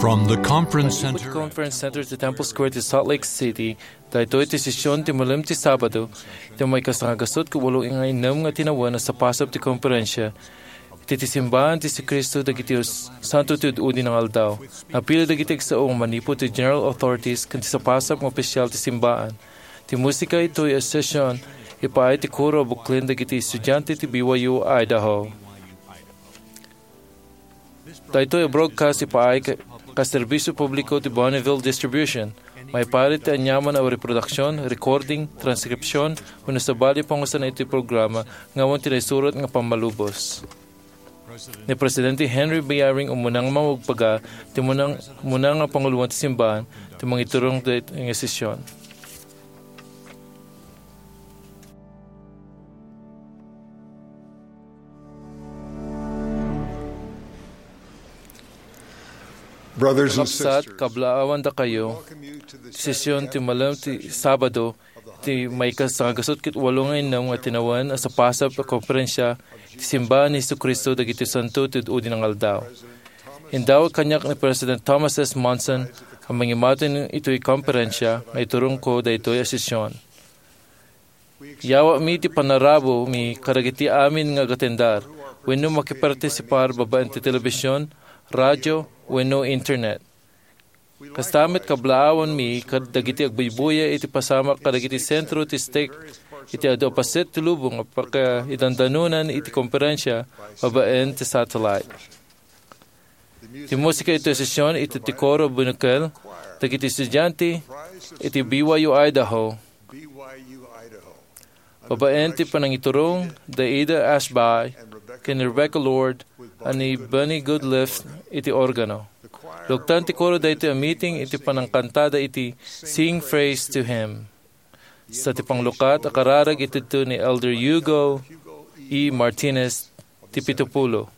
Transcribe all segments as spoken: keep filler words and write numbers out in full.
From the Conference Center. Conference Center ti Temple Square ti Salt Lake City, daytoy ti sesion ti malem ti Sabado, ti maikasangagasut ket walo nga innem nga tinawen a sapasap ti konferensia iti ti Simbahan ti Jesu-Cristo dagiti Santo ti Ud-udi nga Aldaw. Napili dagiti agsao nga manipud ti General Authorities ken ti sapasap nga opisyal ti Simbahan. Ti musika itoy a sesion, ipaay ti koro a buklen dagiti estudiante ti B Y U Idaho. Daytoy a broadcast ipaay ka, ka serbisio publiko ti Bonneville Distribution. Maiparit ti aniaman a reproduksion, recording, transkripsion, wenno sabali a pangusanan iti programa nga awan ti naisurat nga pammalubos. Ni Presidente Henry B. Eyring umuna nga mamagbaga ti munang, muna nga panguloen ti simbahan ti mangiturong daytoy nga sesion. Brothers and Kakabsat, sisters, kablaawan dakayo, ti sesion ti malem ti Sabado, ti maikasangagasut ket walo nga innem nga tinawen a sapasap a konferensia ti Simbahan ni Jesu-Cristo dagiti Santo ti Ud-udi nga Aldaw. Indawat kaniak ni President Thomas S. Monson a mangimatun itoy konferensia nga iturongko daytoy a sesion. Yawatmi ti panarabumi kadagiti amin nga agatendar wenno makipartisipar babaen ti telebision, radio, wenno internet. Kasta met kablaawanmi kad dagiti agbuybuya iti pasamak kadagiti sentro ti stake iti adu a paset ti lubong a pakaidandanonan iti konferensia babaen ti satellite. Ti musika iti sesion iti ti koro a bunokel dagiti estudiante iti B Y U Idaho. Babaen ti panangiturong da Ada Ashby ken Rebecca Lord a ni Benny Goodliffe iti organo. Luktan ti koro daytoy a meeting iti panangkantada iti Sing Praise to Him. Sa ti panglukat a kararag iti ni Elder Hugo E. Martinez ti pitupulo.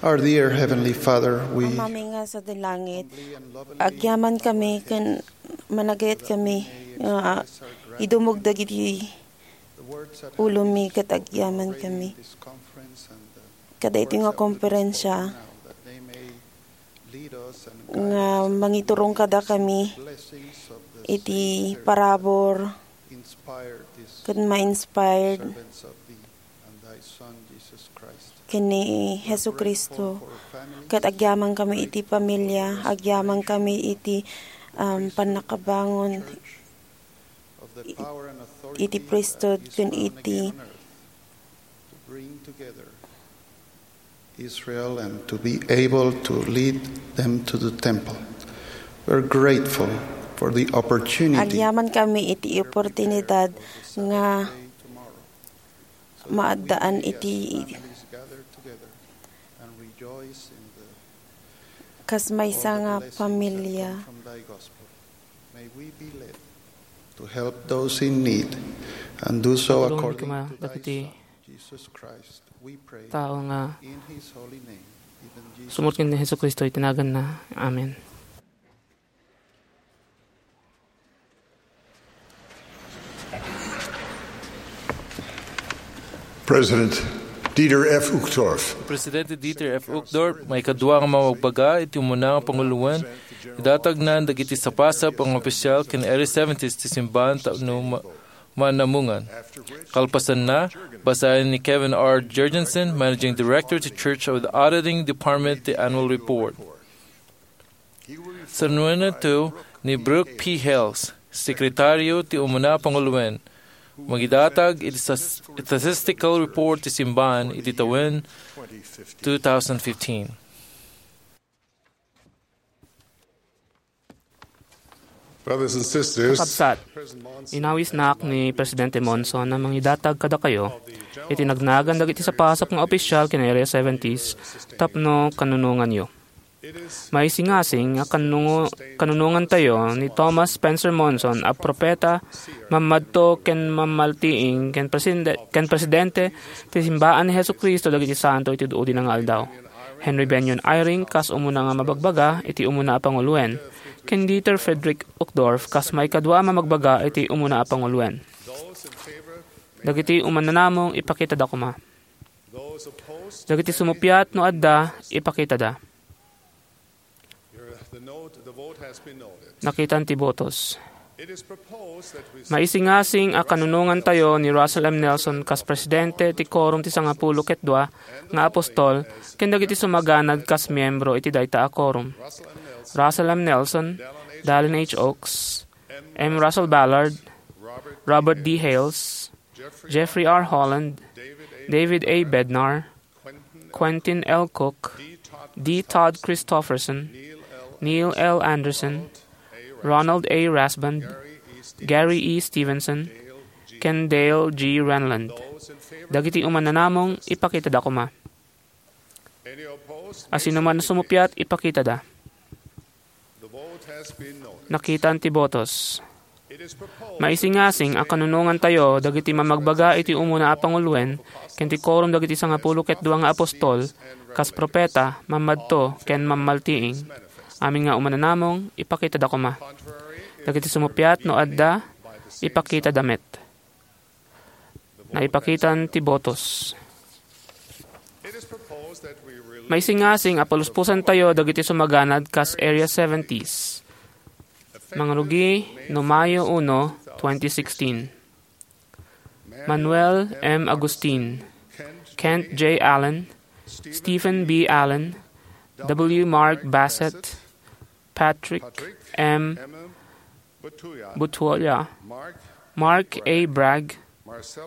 Our dear Heavenly Father, we Amami nga sa langit, agyaman kami ken managayat kami nga idumog dagiti ulomi ket agyaman kami. Kada iti nga konferensya nga mangiturong kada kami iti parabur ket ma-inspired ken ni Jesu-Cristo. Ket agyaman kami iti pamilya, agyaman kami iti, um, pannakabangon iti priesthood ken iti Israel and to be able to lead them to the temple. We're grateful for the opportunity. Agyaman kami iti oportunidad nga maaddaan iti kas maysa nga pamilya. May we be led to help those in need and do so Tulungan according kami to thy dagiti Son, Jesus Christ. We pray tao nga in his holy name, even Jesus. Sumurot ken ni Jesu-Cristo iti naganna. Amen. President Dieter F. Uchtdorf. Presidente Dieter F. Uchtdorf, maikadua nga mamagbaga iti umuna nga panguloen, idatagnan dagiti sapasap nga opisyal ken Area seventies ti simbahan tapno ma-, manamungan. Kalpasanna, basaen ni Kevin R. Jurgensen, Managing Director ti Church of the Auditing Department, ti annual report. Sanuenanto ni Brooke P. Hales, Sekretario ti Umuna a Panguloen, mangidatag iti sas-, statistical report ti simbahan iti tawen two thousand fifteen. Brothers and sisters, Kakabsat, inawisnak ni Presidente Monson a mangidatag kadakayo iti nagnagan dagiti sapasap nga opisyal ken Area seventies tapno kanunonganyo. Maisingasing a kanungo-, kanunongantayo ni Thomas Spencer Monson a propeta, mammadto ken mammaltiing ken presinde-, ken presidente ti simbaan ni Jesu-Cristo dagiti santo iti udi nga aldaw. Henry Bennion Eyring kas umuna nga mabagbaga iti umuna a panguloen, ken Dieter Friedrich Uchtdorf kas maikadua a mamagbaga iti umuna a panguloen. Dagiti umannanamong, ipakitada koma. Dagiti sumuppiat no adda, ipakitada. Nakitan ti botos. Maisingasing a kanunongantayo ni Russell M. Nelson kas presidente ti Quorum ti Sangapulo ket Dua nga Apostol ken dagiti sumaganad kas miyembro iti dayta a quorum. Russell M. Nelson, Dallin H. Oaks, M. Russell Ballard, Robert D. Hales, Jeffrey R. Holland, David A. Bednar, Quentin L. Cook, D. Todd Christofferson, Neil L. Andersen, Ronald A. Rasband, Gary E. Stevenson, ken Dale G. Renlund. Dagiti umannanamong, ipakitada koma. A sinoman a sumuppiat, ipakitada. Nakitan ti botos. Maisingasing a kanunongantayo dagiti mamagbaga iti umuna a panguloen ken ti Quorum dagiti Sangapulo ket Dua nga Apostol, kas propeta, mammadto, ken mammaltiing. Amin nga umannanamong, ipakitada koma. Dagiti sumuppiat no adda, ipakitada met. Naipakitan ti botos. Maisingasing a paluspusantayo dagiti sumaganad kas Area seventies. Mangrugi no Mayo uno, twenty sixteen. Manuel M. Agustin, Kent J. Allen, Stephen B. Allen, W. Mark Bassett, Patrick M. Butuola, Mark A. Bragg,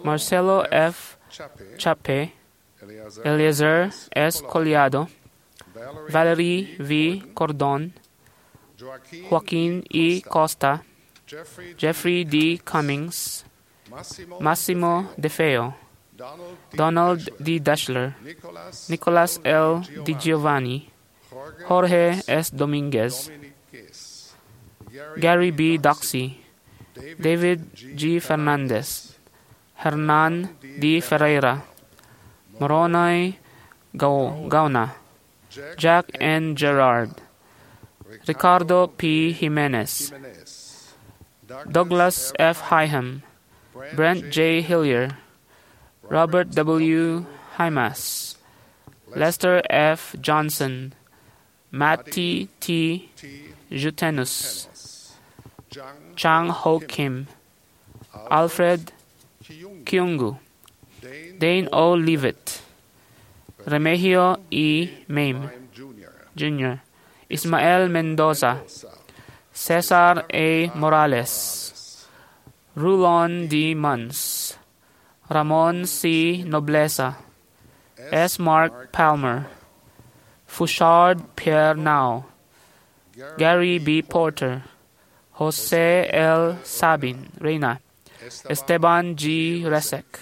Marcelo F. Chape, Eleazar S. Collado, Valerie V. Cordon, Joaquin E. Costa, Jeffrey D. Cummings, Massimo De Feo, Donald D. Dashler, Nicolas L. Di Giovanni, Jorge S. Dominguez, Gary B. Doxy, David G. Fernandez, Hernan D. Ferreira, Moroni Gau-, Gauna, Jack N. Gerard, Ricardo P. Jimenez, Douglas F. Hyham, Brent J. Hillier, Robert W. Hymas, Lester F. Johnson, Mattie T. Jutenus, Chang Ho Kim, Alfred Kyungu, Dane O. Leavitt, Remigio E. Mame Junior, Ismael Mendoza, Cesar A. Morales, Rulon D. Munns, Ramon C. Nobleza, S. Mark Palmer, Fouchard Pierre Nau, Gary B. Porter, Jose L. Sabin Reyna, Esteban G. Resek,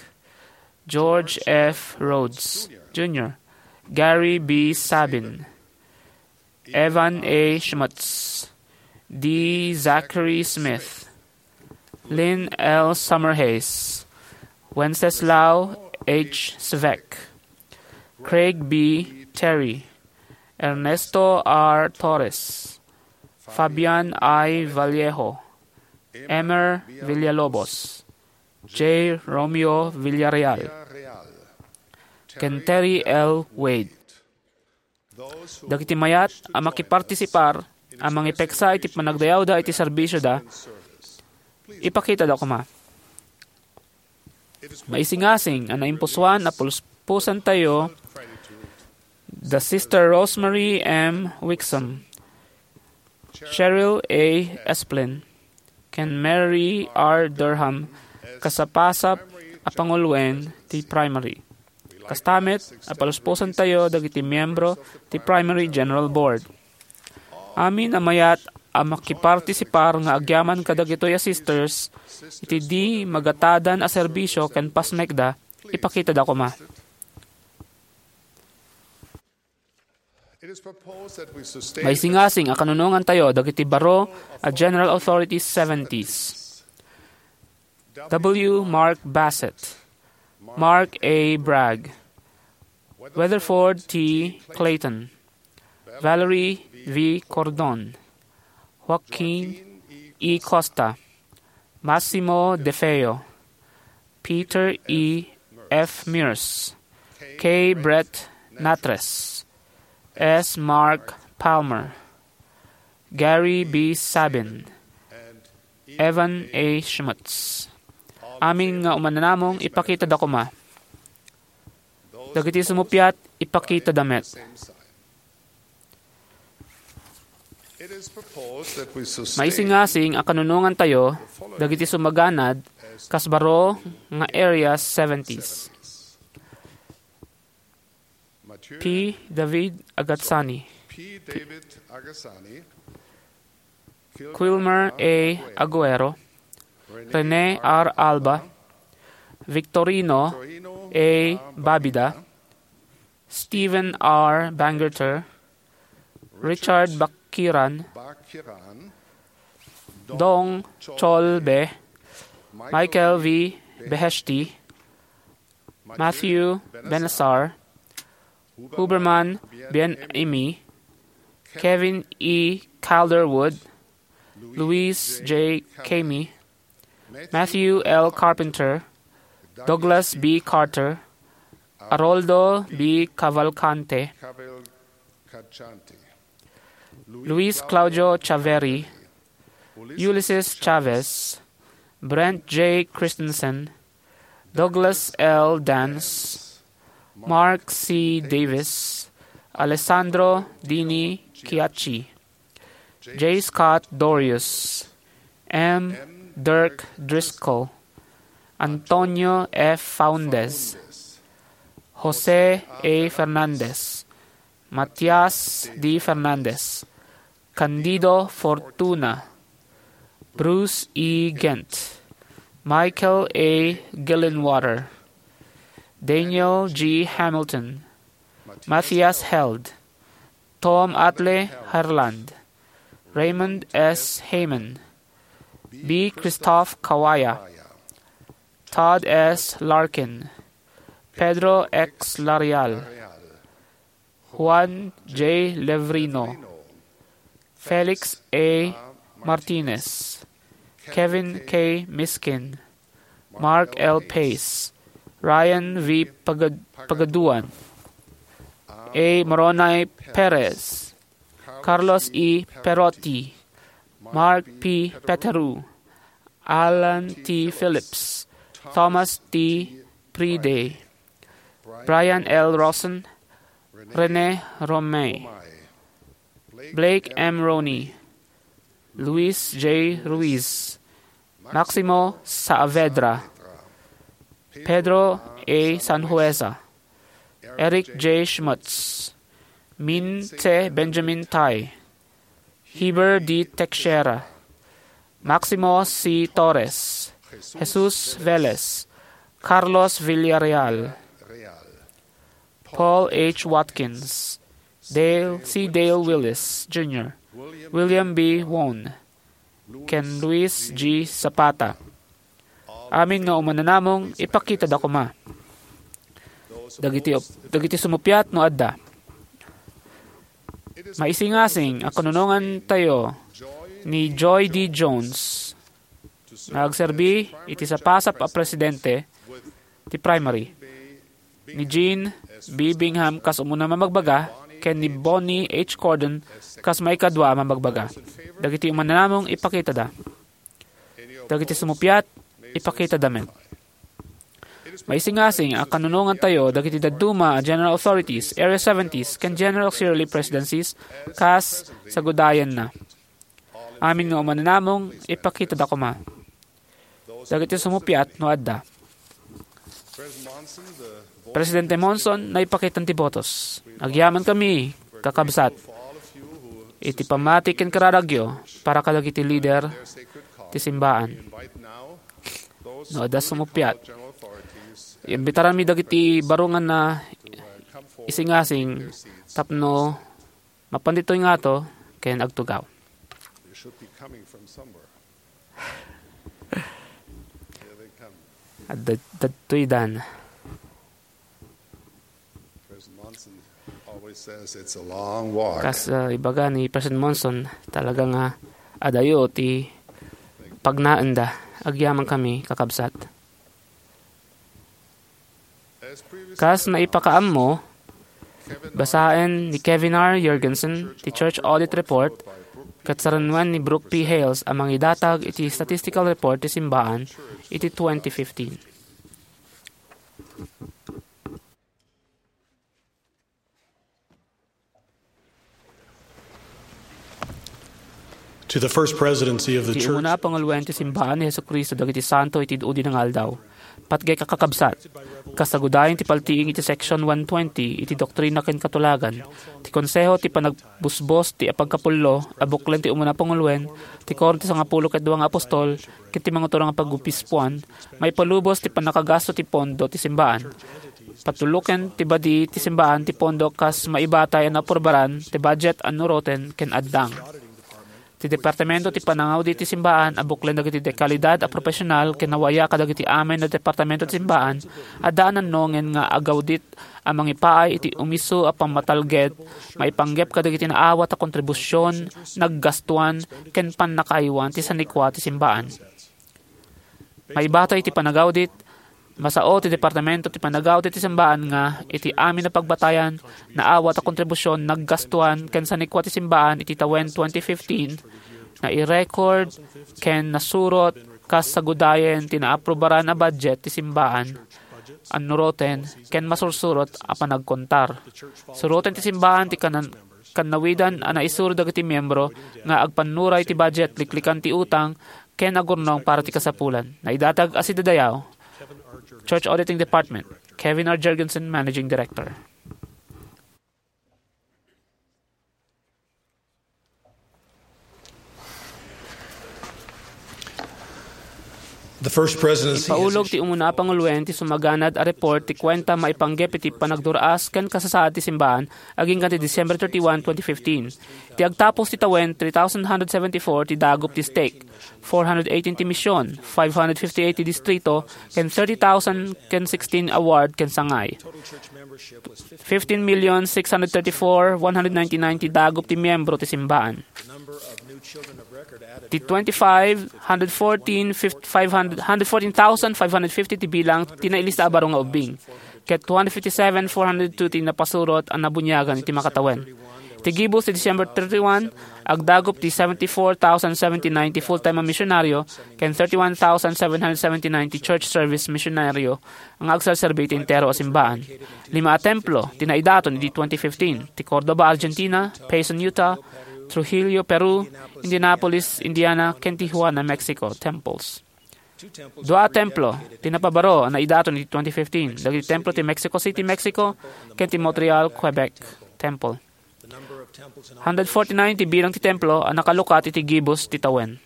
George F. Rhodes Junior, Gary B. Sabin, Evan A. Schmutz, D. Zachary Smith, Lynn L. Summerhays, Wenceslao H. Svec, Craig B. Terry, Ernesto R. Torres, Fabian I. Vallejo, Emer Villalobos, J. Romeo Villarreal, ken Terry L. Wade. Dagiti mayat a makipartisipar a mangipeksa iti panagdayawda iti serbisioda, ipakitada koma. Maisingasing a naimpusoan a puspusentayo da Sister Rosemary M. Wixom, Cheryl A. Esplin, ken Mary R. Durham kas sapasap a panguluen ti primary. Kasta met a paluspusentayo dagiti miyembro ti Primary General Board. Amin a mayat a makipartisipar nga agyaman kadagitoy a sisters iti di magatadan a serbisio ken pasmekda, ipakitada koma. Maisingasing a kanunongantayo dagiti baro a General Authorities seventies. W. Mark Bassett, Mark A. Bragg, Weatherford T. Clayton, Valerie V. Cordon, Joaquin E. Costa, Massimo De Feo, Peter E. F. Mears, K. Brett Natres, S. Mark Palmer, Gary B. Sabin, Evan A. Schmutz. Amin nga umananamong, ipakitada koma. Dagiti sumuppiat, ipakitada met. Maisingasing a kanunongantayo dagiti sumaganad kas baro nga Area seventies. P. David Agazzani, Quilmer A. Aguero, Rene R. Alba, Victorino A. Babida, Stephen R. Bangerter, Richard Bakiran, Dong Cholbe, Michael V. Beheshti, Matthew Benassar, Huberman Bien Aimé, Kevin E. Calderwood, Luis J. Camey, Matthew L. Carpenter, Douglas B. Carter, Aroldo B. Cavalcante, Luis Claudio Chaveri, Ulysses Chavez, Brent J. Christensen, Douglas L. Dance, Mark C. Davis, Alessandro Dini Chiacci, J. Scott Dorius, M. Dirk Driscoll, Antonio F. Faundes, Jose A. Fernandez, Matias D. Fernandez, Candido Fortuna, Bruce E. Gent, Michael A. Gillenwater, Daniel G. Hamilton, Matthias Held, Tom Atle Herland, Raymond S. Heyman, B. Christoph Kawaya, Todd S. Larkin, Pedro X. Larial, Juan J. Levrino, Felix A. Martinez, Kevin K. Miskin, Mark L. Pace, Ryan V. Pagad-, Pagaduan, A. Moroni Perez, Carlos E. Perotti, Mark P. Peteru, Alan T. Phillips, Thomas T. Priday, Brian L. Rosen, Rene Romay, Blake M. Roney, Luis J. Ruiz, Maximo Saavedra, Pedro A. Sanhueza, Eric J. Schmutz, Min C. Benjamin Tai, Heber D. Teixeira, Maximo C. Torres, Jesus Velez, Carlos Villarreal, Paul H. Watkins, Dale C. Dale Willis Junior, William B. Won, ken Luis G. Zapata. Amin nga umananamong, ipakitada koma. Dagiti, dagiti sumuppiat no adda. Maisingasing a kanunongan tayo ni Joy D. Jones nga agserbi iti sapasap a presidente ti primary, ni Jean B. Bingham kas umuna mamagbaga, ken ni Bonnie H. Cordon kas maikadua a mamagbaga. Dagiti umananamong ipakitada. Dagiti sumuppiat, ipakitada met. Maisingasing a kanunongan tayo dagiti dadduma a General Authorities, Area seventies, ken General Auxiliary Presidencies kas sagudayanna. Amin nga umananamong, ipakitada koma. Dagiti sumuppiat no adda. Presidente Monson, naipakitan ti botos. Agyaman kami, kakabsat, iti pammati ken kararagyo para kadagiti lider ti simbaan. No adda sumuppiat, imbitaranmi dagiti barungan na isingasing tapno mapan ditoy ngato ken agtugaw. Adda, dadtoy dan. Kas, ah, ibaga ni President Monson, talaga nga adayo ti pagnaenda. Agyaman kami, kakabsat. Kas naipakaammo, basaen ni Kevin R. Jurgensen ti Church Audit Report ket sarenuen ni Brooke P. Hales a mangidatag iti statistical report ti simbaan iti twenty fifteen. To the First Presidency of the Church. Ti umuna a panguluen ti simbaan ni Jesu-Cristo dagiti santo iti udi nga aldaw. Patgek a kakabsat, kasagudayan ti paltiing iti Section one twenty iti Doktrina ken Katulagan, ti Konseho ti Panagbusbos ti Apagkapullo a buklen ti umuna a panguluen, ti Koro ti Sangapulo ket Dua nga Apostol, ket ti Manguturong a Pagobispoan, maipalubos ti pannakagasto ti pondo ti simbaan. Patuluken ti badi ti simbaan ti pondo kas maibatay a naaprubaran ti budget a nuroten ken addang. Ti Departamento ti Panangaudit ti Simbaan a buklen dagiti dekalidad a profesional ken nawayak kadagiti amin a departamento ti simbaan, adda a nannongen nga agaudit a mangipaay iti umiso a pammatalged maipanggep kadagiti naawat a kontribusion, naggastuan, ken pannakaaywan ti sanikua ti simbaan. Maibatay iti panagaudit, masao ti Departamento ti Panagaudit ti Simbaan nga iti amin a pagbatayan, naawat a kontribusion, naggastuan, ken sanikua ti simbaan iti tawen twenty fifteen, nairecord ken nasurot kas sagudayen ti naaprubaran a budget ti simbaan, annuroten, ken masursurot a panagkontar. Suroten ti simbaan ti kanan-, kannawidan a naisuro dagiti miyembro nga agpannuray ti budget, liklikan ti utang, ken agurnong para ti kasapulan. Naidatag a sidadayaw, Church Auditing Department, Kevin R. Jurgensen, Managing Director. The First Presidency has Ipaulog ti umuna a panguluen ti sumaganad a report ti kuenta maipanggep iti panagdur-as ken kasasaad ti simbaan agingga ti December thirty-one, twenty fifteen. Ti agtapos ti tawen, three thousand one hundred seventy-four ti dagup ti stake. four hundred eighteen ti mision, five hundred fifty-eight ti distrito, ken thirty thousand ken sixteen a ward ken sangay. Fifteen million six hundred thirty-four one hundred ninety-nine ti dagup ti miyembro ti simbaan. Ti twenty-five hundred fourteen, fif-, five hundred, hundred fourteen thousand five hundred fifty ti bilang ti nailista a baro nga ubbing, ket two hundred fifty-seven four hundred two ti napasurot a nabuniagan iti makatawen. Iti gibus ti December thirty-one, agdagup ti seventy-four thousand seventy-nine ti full-time a misyonaryo ken thirty-one thousand seven hundred seventy-nine ti church service misyonaryo nga agserserbi iti entero a simbaan. Lima a templo ti naidaton idi twenty fifteen, ti Cordova, Argentina, Payson, Utah, Trujillo, Peru, Indianapolis, Indiana, ken Tijuana, Mexico, temples. Dua a templo ti napabaro a naidaton idi twenty fifteen, dagiti templo ti Mexico City, Mexico, ken ti Montreal, Quebec, temple. Hundred forty-nine ti bilang ti templo a nakalukat iti gibus ti tawen.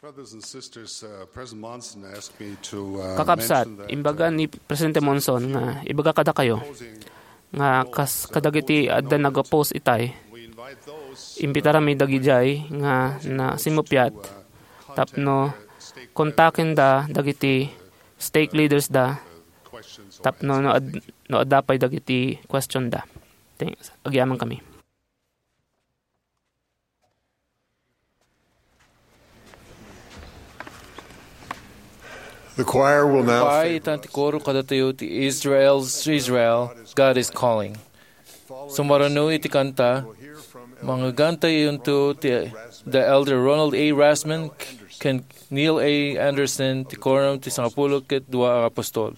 Brothers and sisters, uh, President Monson asked me to, uh, Kakabsat, mention that, imbaga uh, ni Presidente Monson nga ibaga kadakayo nga kas-, kadagiti adda nag-oppose itay, we invite those, uh, imbitarami dagidiay nga nasimuppiat uh, tapno kontakenda dagiti stake leaders da, tapno no ad-, no adda pay dagiti question da. Thanks. Agyamankami. The choir will now Pay sing itan ti koro kadatayo ti Israel's Israel, God is Calling. Sumarno iti kanta, mangagantayonto ti the Elder Ronald A. Rasman ken Neil A. Andersen ti Quorum ti Sangapulo ket Dua a Apostol.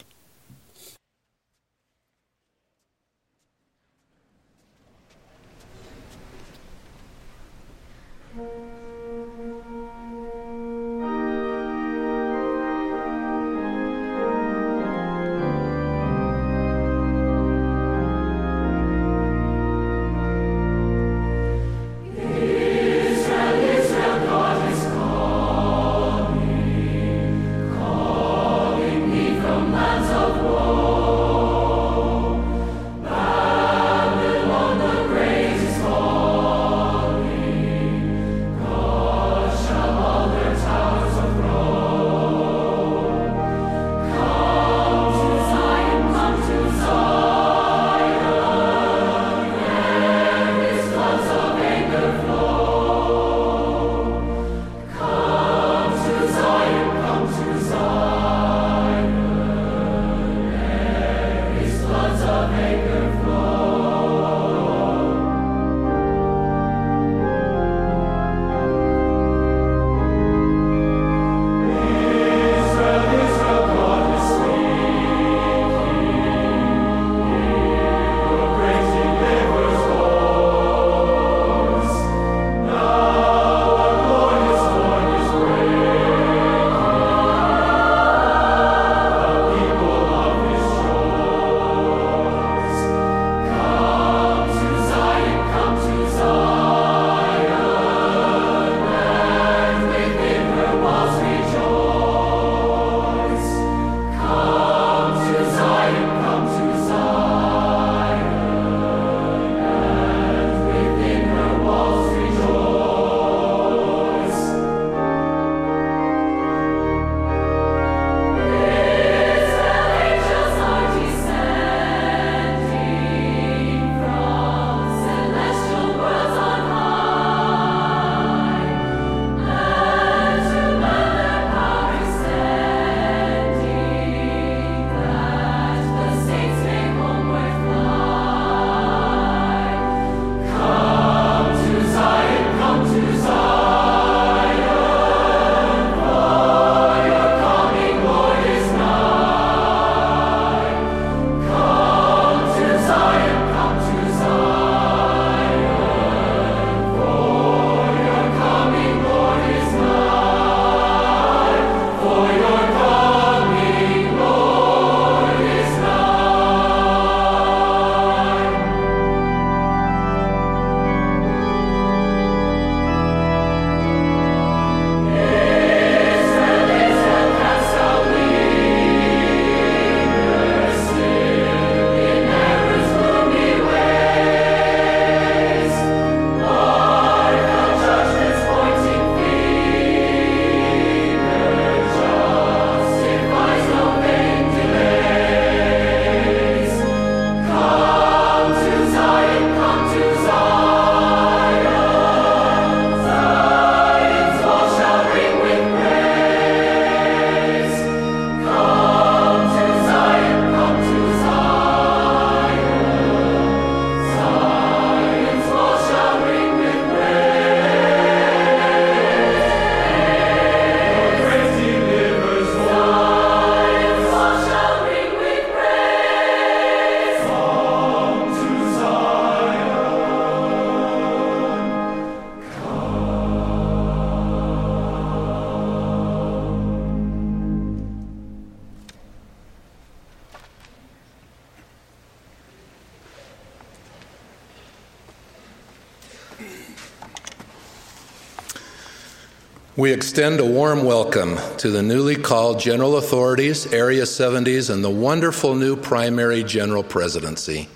We extend a warm welcome to the newly called General Authorities, Area seventies, and the wonderful new Primary General Presidency.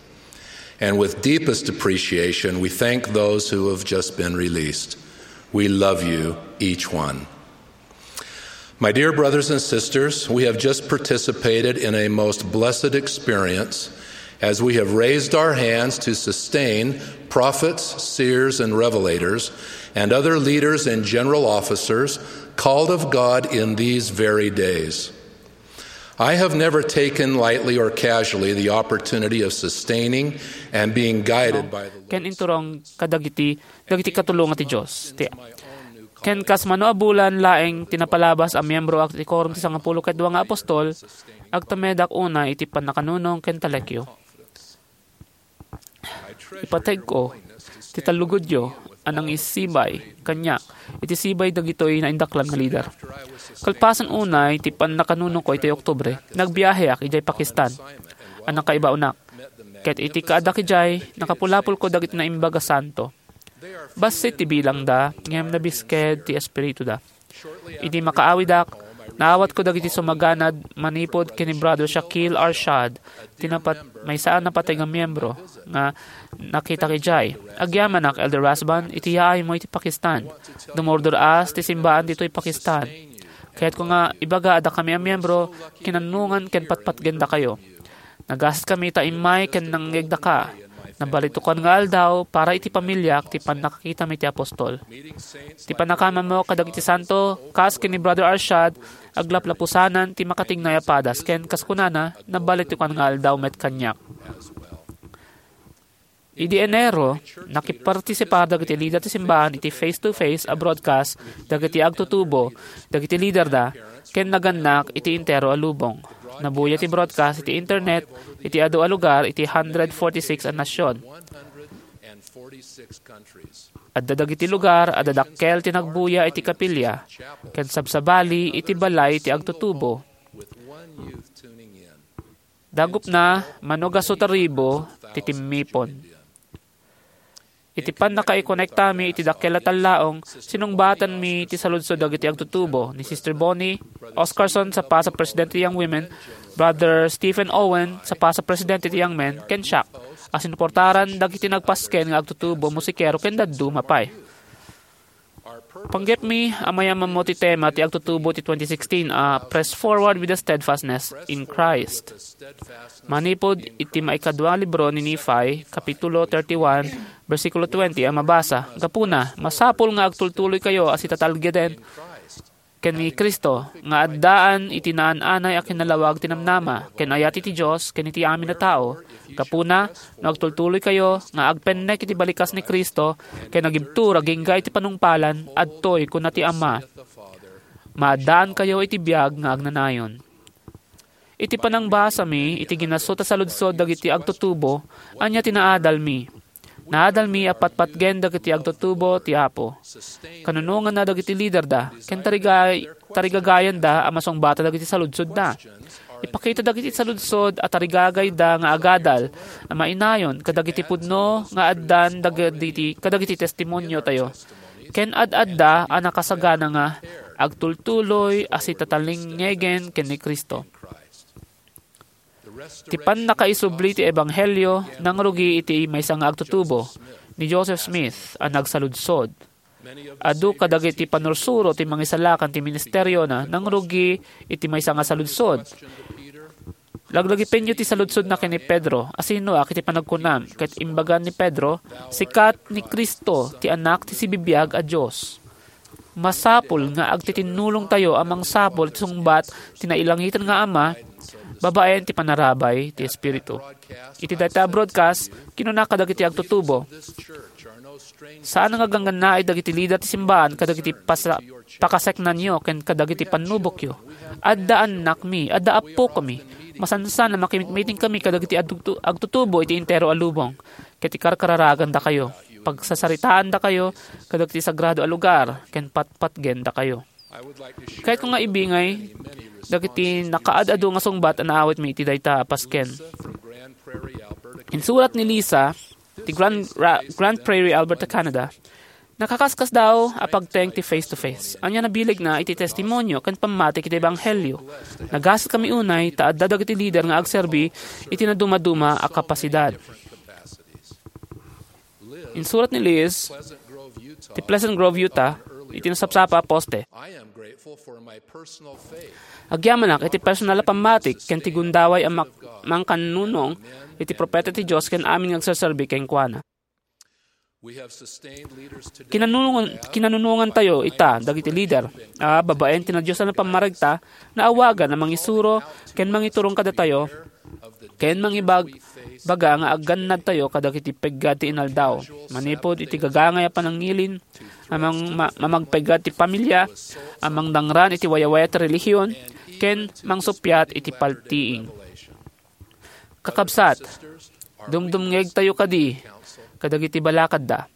And with deepest appreciation, we thank those who have just been released. We love you, each one. My dear brothers and sisters, we have just participated in a most blessed experience as we have raised our hands to sustain prophets, seers, and revelators, and other leaders and general officers called of God in these very days. I have never taken lightly or casually the opportunity of sustaining and being guided by the Lord. Ken inturong kadagiti, dagiti katulongan ti Dios. Ti, ken kas mano a bulan laeng ti napalabas a miyembro ti Quorum ti Sangapulo ket Dua nga Apostol, agtamedak unay iti pannakanunong ken talekyo. Ipategko ti tallugodyo a nangisibay kaniak iti sibay dagitoy naindaklan nga lider. Kalpasan unay ti pannakanunongko iti Oktubre, nagbiaheak idiay Pakistan a nakaibaonak. Ket iti kaadak idiay, nakapulapolko dagiti naimbag a santo. Bassit ti bilangda, ngem nabisked ti espirituda. Idi makaawidak, naawatko dagiti sumaganad manipud ken ni Brother Shakil Arshad, ti napat-, maysa a napateg nga miyembro nga nakitak idiay. Agyamanak, Elder Rasband, iti yaaymo iti Pakistan. Dumurdur-as ti simbaan ditoy Pakistan. Kayatko nga ibaga a dakami a miyembro, kinanungan ken patpatgendakayo. Nagasatkami ta immay ken nangngegdaka. Nabalitukan nga aldaw para iti pamiliak ti pannakakitami ti apostol. Ti pannakamammo kadagiti santo, kas ken ni Brother Arshad, aglaplapusanan ti makatignay a padas, ken kas kunana, nabalitukan nga aldaw met kaniak. Idi Enero, nakipartisipar dagiti lider ti simbaan iti face-to-face a broadcast dagiti agtutubo dagiti liderda ken nagannak iti entero a lubong. Nabuya ti broadcast iti internet iti adu a lugar iti hundred forty-six a nasion. Adda dagiti lugar a dadakkel ti nagbuya iti kapilya ken sabsabali iti balay ti agtutubo. Dagupna, mano gasu ta ribu ti timmipon. Iti pannakaikonektami iti dakkel a tallaong, sinungbatanmi ti saludsod dagiti agtutubo ni Sister Bonnie Oscarson, sapa sa presidente ti Young Women, Brother Stephen Owen, sapa sa presidente ti Young Men, ken siak, a sinuportaran dagiti nagpasken nga agtutubo, musikero, ken dadduma pay. Panggepmi a mayamammo ti tema ti agtutubo ti twenty sixteen a Press Forward with the Steadfastness in Christ. Manipud iti maikadua libro ni Nephi, Kapitulo thirty-one, bersikulo twenty a mabasa, gapuna, masapul nga agtultuloykayo a sitatalgeden ken ni Cristo, nga addaan iti naan-anay a kinalawag ti namnama ken ayat iti Dios ken iti amin a tao. Gapuna, no agtultuloykayo nga agpennek iti balikas ni Cristo ken agibtur agingga iti panungpalan, adtoy kuna ti Ama, maaddaankayo iti biag nga agnanayon. Iti panangbasami iti ginasut a saludsod dagiti agtutubo, ania ti naadalmi? Naadalmi a patpatgen dagiti agtutubo ti Apo. Kanunonganna dagiti liderda, ken tarigay-, tarigagayanda a masungbatan dagiti saludsodda. Ipakita dagiti saludsod a tarigagayda nga agadal a mainayon kadagiti pudno nga addan dagiti, kadagiti testimoniotayo. Ken ad-adda a nakasagana nga agtultuloy a sitatalingngegen ken ni Cristo. Ti pannakaisubli ti ebanghelio nangrugi iti maysa nga agtutubo, ni Joseph Smith, a nagsaludsod. Adu kadagiti panursuro ti mangisalakan ti ministeriona nangrugi iti maysa nga saludsod. Laglagipenyo ti saludsodna ken ni Pedro, "Asinoak iti panagkunam?" Ket imbaga ni Pedro, "Sikat ni Cristo, ti Anak ti sibibiag a Dios." Masapul nga agtitinnulongtayo a mangsapul iti sungbat ti nailangitan nga Ama babaen ti panarabay ti Espiritu. Iti dayta a broadcast, kinuna kadagiti agtutubo, "Saan nga ganggannaay dagiti lider ti simbaan kadagiti pasa-, pakaseknanyo ken kadagiti pannubokyo. Adda annakmi, adda appokami. Masansan a makimitmitingkami kadagiti agtutu-, agtutubo iti entero a lubong, ket ikarkararagandakayo. Pagsasaritaandakayo kadagiti sagrado a lugar ken patpatgendakayo." Kayatko nga ibingay dagiti nakaad-adu nga sungbat a naawatmi iti dayta a pasken. Insurat ni Lisa, ti Grand, Ra-, Grand Prairie, Alberta, Canada, Nakakaskasdaaw a pagteng ti face-to-face. Ania nabilegna iti testimonio ken pammatik iti ebanghelio. Nagasatkami unay ta adda dagiti lider nga agserbi iti nadumaduma a kapasidad. Insurat ni Liz ti Pleasant Grove, Utah, iti nasapsapa a poste. Agyamanak iti personal a pammatik ken ti gundaway a mak-, mangkannunong iti propeta ti Dios ken amin nga agserserbi kenkuana. Kinanunongan, kinanunongan tayo ita dagiti lider a babaen ti nadiosan a pammaregta, naawagan a mangisuro ken mangiturong kadatayo ken mangibag-, baga nga aggannadtayo kadagiti peggad ti inaldaw, manipud iti gagangay a panangilin a mang-, ma-, mamagpeggad ti pamilia, a mangdangran iti wayawayat ti relihion, ken mangsuppiat iti paltiing. Kakabsat, dumdumngegtayo kadi kadagiti balakadda.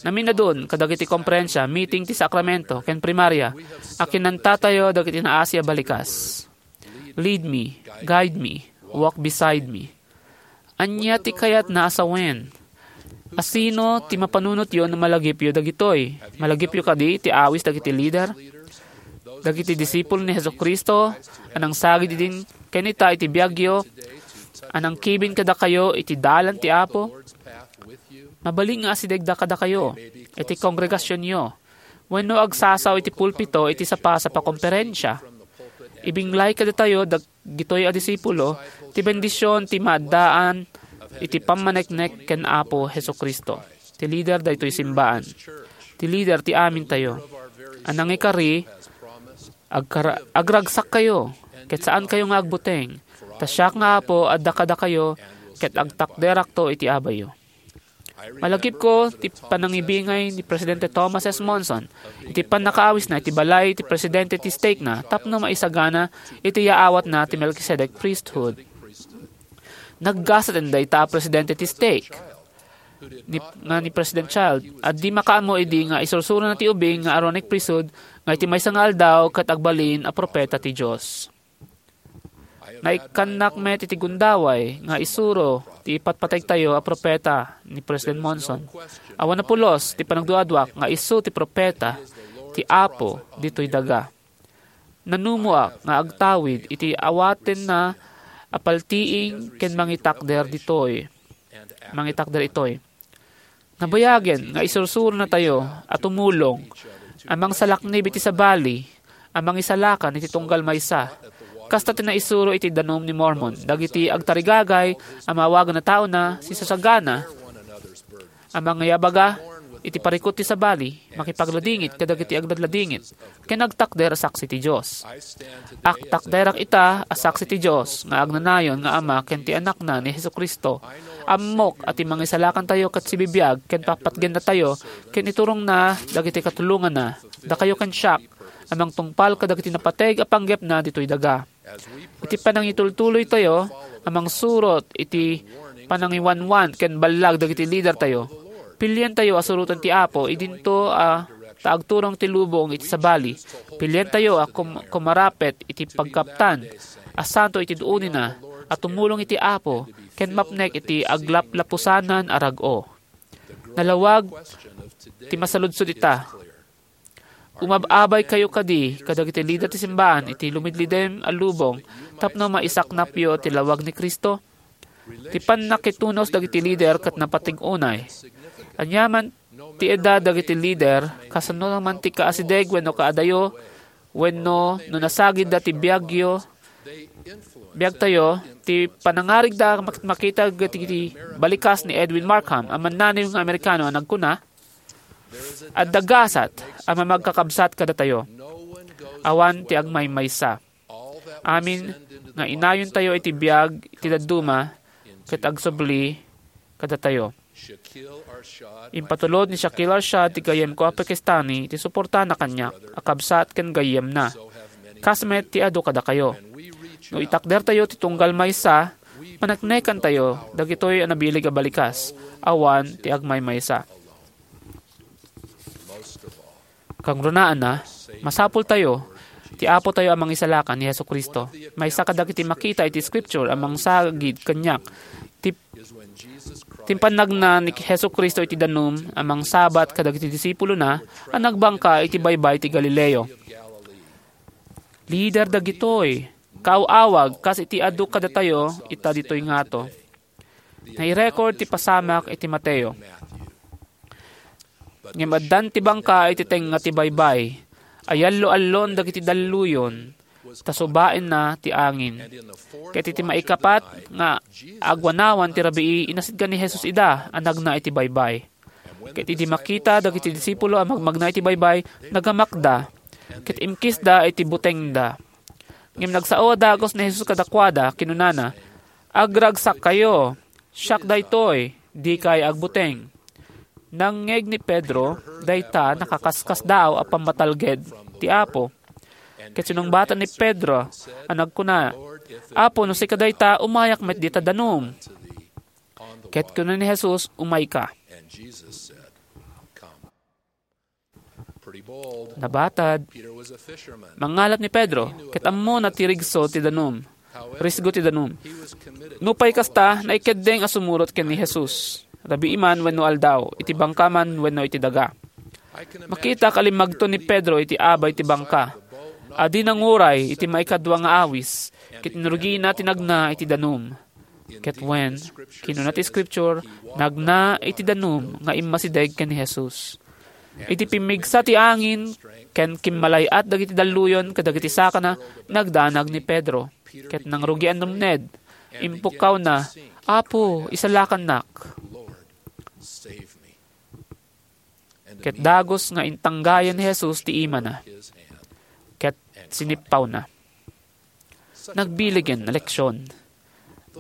Naminadun kadagiti komperensia, meeting ti sakramento, ken primaria a kinantatayo dagiti naasi a balikas. "Lead me, guide me, walk beside me." Ania ti kayatna a sawen? Asino ti mapanunotyo no malagipyo dagitoy? Malagipyo kadi ti awis dagiti lider, dagiti disipul ni Jesu-Cristo a nangsagid idin ken ita iti biagyo, a nangkibin kadakayo iti dalan ti Apo? Mabalin nga asidegda kadakayo iti kongregasionyo wenno agsasaw iti pulpito iti sapasap a komperensia. Ibinglay kadatayo dag-, dagitoy a disipulo ti bendision ti maaddaan iti pammaneknek ken Apo Jesu-Cristo, ti lider daytoy simbaan, ti lider ti amintayo. A nangikari, agkara-, agragsakkayo, ket saankayo nga agbuteng, ta siak nga Apo adda kadakayo, ket agtakderakto iti abayyo. Malagipko ti panangibingay ni Presidente Thomas S. Monson iti pannakaawisna iti balay ti presidente ti stake-na tapno maisagana iti yaawatna ti Melchizedek Priesthood. Naggasaten dayta a presidente ti stake ni, nga ni President Child, a di makaammo idi nga isursurona ti ubing nga Aaronic Priesthood nga iti maysa nga aldaw ket agbalin a propeta ti Dios. Naikkannak met iti gundaway nga isuro ti ipatpategtayo a propeta ni President Monson. Awan a pulos ti panagduaduak nga isu ti propeta ti Apo ditoy daga. Nanumoak nga agtawid iti awatenna a paltiing ken mangitakder ditoy. Mangitakder itoy. Nabayagen nga isursuronatayo a tumulong a mangsalaknib iti sabali a mangisalakan iti tunggal maysa. Kasta ti naisuro iti Danum ni Mormon dagiti agtarigagay a maawagan a taona, sisusagana a mangibaga iti parikut ti sabali, makipagladingit kadagiti agladladingit, ken agtakder a saksi ti Dios. Agtakderak ita a saksi ti Dios nga agnanayon nga Ama ken ti Anakna ni Jesu-Cristo. Ammok a ti mangisalakantayo ket sibibiag ken papatgennatayo ken iturongna dagiti katulonganna, dakayo ken siak, a mangtungpal kadagiti napateg a panggepna ditoy daga. Iti panangitultuloytayo a mangsurot iti panangiwanwan ken ballag dagiti lidertayo, pilientayo a suroten ti Apo idinto a ta agturong ti lubong iti sabali. Pilientayo a kum-, kumarapet iti pagkaptan a santo iti duonina a tumulong iti Apo ken mapnek iti aglaplapusanan a rag-o. Nalawag ti masaludsod ita. Umab-abaykayo kadi kadagiti lider ti simbaan iti lumidlidem a lubong tapno maisaknapyo ti lawag ni Cristo? Ti pannakitunos dagiti lider ket napateg unay. Aniaman ti edad dagiti lider, kasano man ti kaasideg wenno kaadayo, wenno no nasagidda ti biagyo, biagtayo, ti panangarigda ket makita dagiti balikas ni Edwin Markham, a mannanawag nga Amerikano a nagkuna, "Adda gasat a mamagkakabsat kadatayo. Awan ti agmaymaysa. Amin nga inayontayo iti biag ti dadduma ket agsubli kadatayo." Impatulod ni Shakil Arshad ti gayyem ko a Pakistani ti suportana kaniak a kabsat ken gayyemna. Kas met ti adu kadakayo. No itakdertayo ti tunggal maysa, paneknekantayo dagitoy a nabileg a balikas, awan ti agmaymaysa. Kangrunaan, masapultayo, ti Apotayo a Mangisalakan ni Jesu-Cristo. Maysa kadagiti makita iti Scripture a mangsagid kaniak ti Timpannagna ni Jesu-Cristo iti danum a mangsabat kadagiti disipulona a nagbangka iti baybay ti Galileo. Lider dagitoy, kaaw-awag kas iti adu kadatayo ita ditoy ngato. Nairecord ti pasamak iti Mateo. Ngem addan ti bangka iti tengnga ti baybay, ayallo-allon dagiti dalluyon, ta subaenna ti angin. Ket iti maikapat nga agwanawan ti rabii, inasidka ni Jesus ida a nagna iti baybay. Ket idi makita dagiti disipulo a magmagna iti baybay, nagamakda, ket imkisda iti butengda. Ngem nagsao a dagus ni Jesus kadakuada, kinunana, "Agragsakkayo, siak daytoy, dikay agbuteng." Nangngeg ni Pedro dayta, nakaskasdaaw a pammatalged ti Apo. Ket sinungbaten ni Pedro a nagkuna, "Apo, no sika dayta, umayak met dita danum." Ket kuna ni Jesus, "Umayka." Nabatad. Mangalap ni Pedro, ket ammona ti rigso ti danum. Risgo ti danum. Nupay kasta, naikeddeng a sumurot ken ni Jesus. Rabii man wenno aldaw, iti bangka man wenno iti daga. Makitak a limmagto ni Pedro iti abay ti bangka. Adi nanguray iti maikadua nga awis, ket inrugiina ti nagna iti danum. Ket wen, kinuna ti Scripture, nagna iti danum nga immasideg ken ni Jesus. Iti pimmigsa ti angin ken kimmalay-at dagiti dalluyon kadagiti sakana, nagdanag ni Pedro. Ket nangrugian ni Ned, impukkawna, "Apo, isalakannak." Ket dagus nga intanggayan ni Jesus ti imana, ket sinippawna. Nagbiligen a leksion.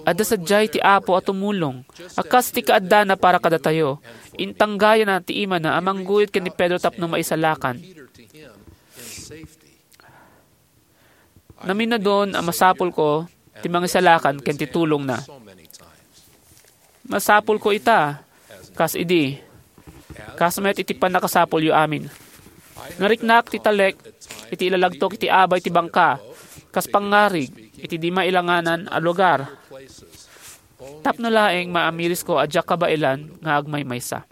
Adda sadiay ti Apo a tumulong, a kas ti kaaddana para kadatayo. Intanggayana ti imana a mangguyod ken ni Pedro tapno maisalakan. Naminadon a masapulko ti mangisalakan ken ti tulongna. Masapulko ita, kas idi, kas met iti pannakasapulyo amin. Nariknak ti talek iti ilalagtok iti abay ti bangka, kas pangngarig iti di mailanganan a lugar. Tapno laeng maamirisko a diak kabaelan nga agmaymaysa.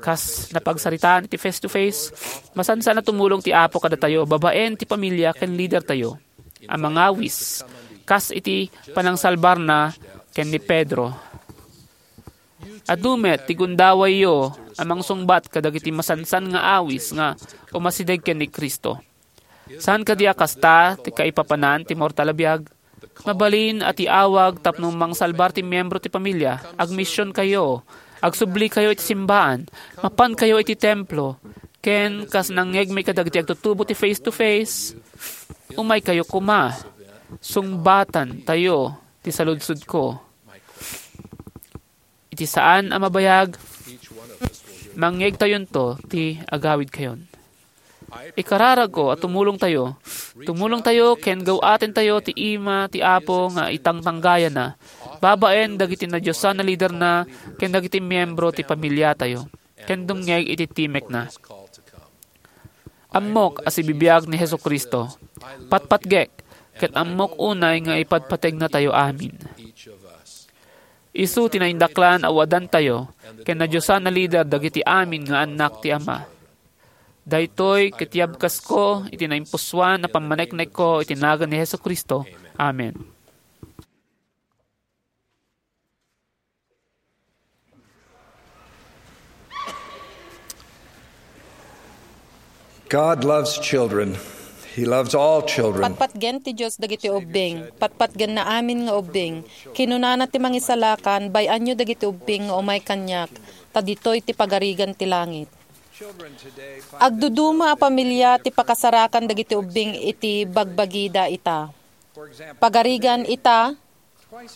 Kas napagsaritaan iti face-to-face, masansan a tumulong ti Apo kadatayo babaen ti pamilia ken lidertayo a mangawis, kas iti panangsalbarna ken ni Pedro. Adu met ti gundawayyo a mangsungbat kadagiti masansan nga awis nga umasideg ken ni Cristo. Saan kadi a kasta ti kaipapanan ti mortal a biag? Mabalin a ti awag tapno mangsalbar ti miyembro ti pamilia, agmisionkayo, agsublikayo iti simbaan, mapankayo iti templo, ken kas nangngegmi kadagiti agtutubo ti face-to-face, umaykayo koma, sungbatantayo ti saludsodko. Iti saan a mabayag, mangngegtayonto ti agawidkayon. Ikararagko a tumulongtayo, tumulongtayo ken gaw-atentayo ti ima ti Apo nga itangtanggayana, babaen dagiti nadiosan a liderna ken dagiti miyembro ti pamiliatayo, ken dumngeg iti timekna. Ammok a sibibiag ni Jesu-Cristo. Patpatgek, ket ammok unay nga ipatpategnatayo amin. Isu ti naindaklan a wadantayo ken nadiosan a lider dagiti amin nga annak ti Ama. Daytoy ket yabkasko iti naimpusoan a pammaneknekko iti nagan ni Jesu-Cristo. Amen. God loves children. He loves all children. Patpatgen ti Dios dagiti ubbing. Patpatgenna amin nga ubbing. Kinunana ti Mangisalakan, "Bay-anyo dagiti ubbing nga umay kaniak, ta ditoy ti pagarigan ti langit." Agduduma a pamilia ti pakasarakan dagiti ubbing iti bagbagida ita. Pagarigan ita,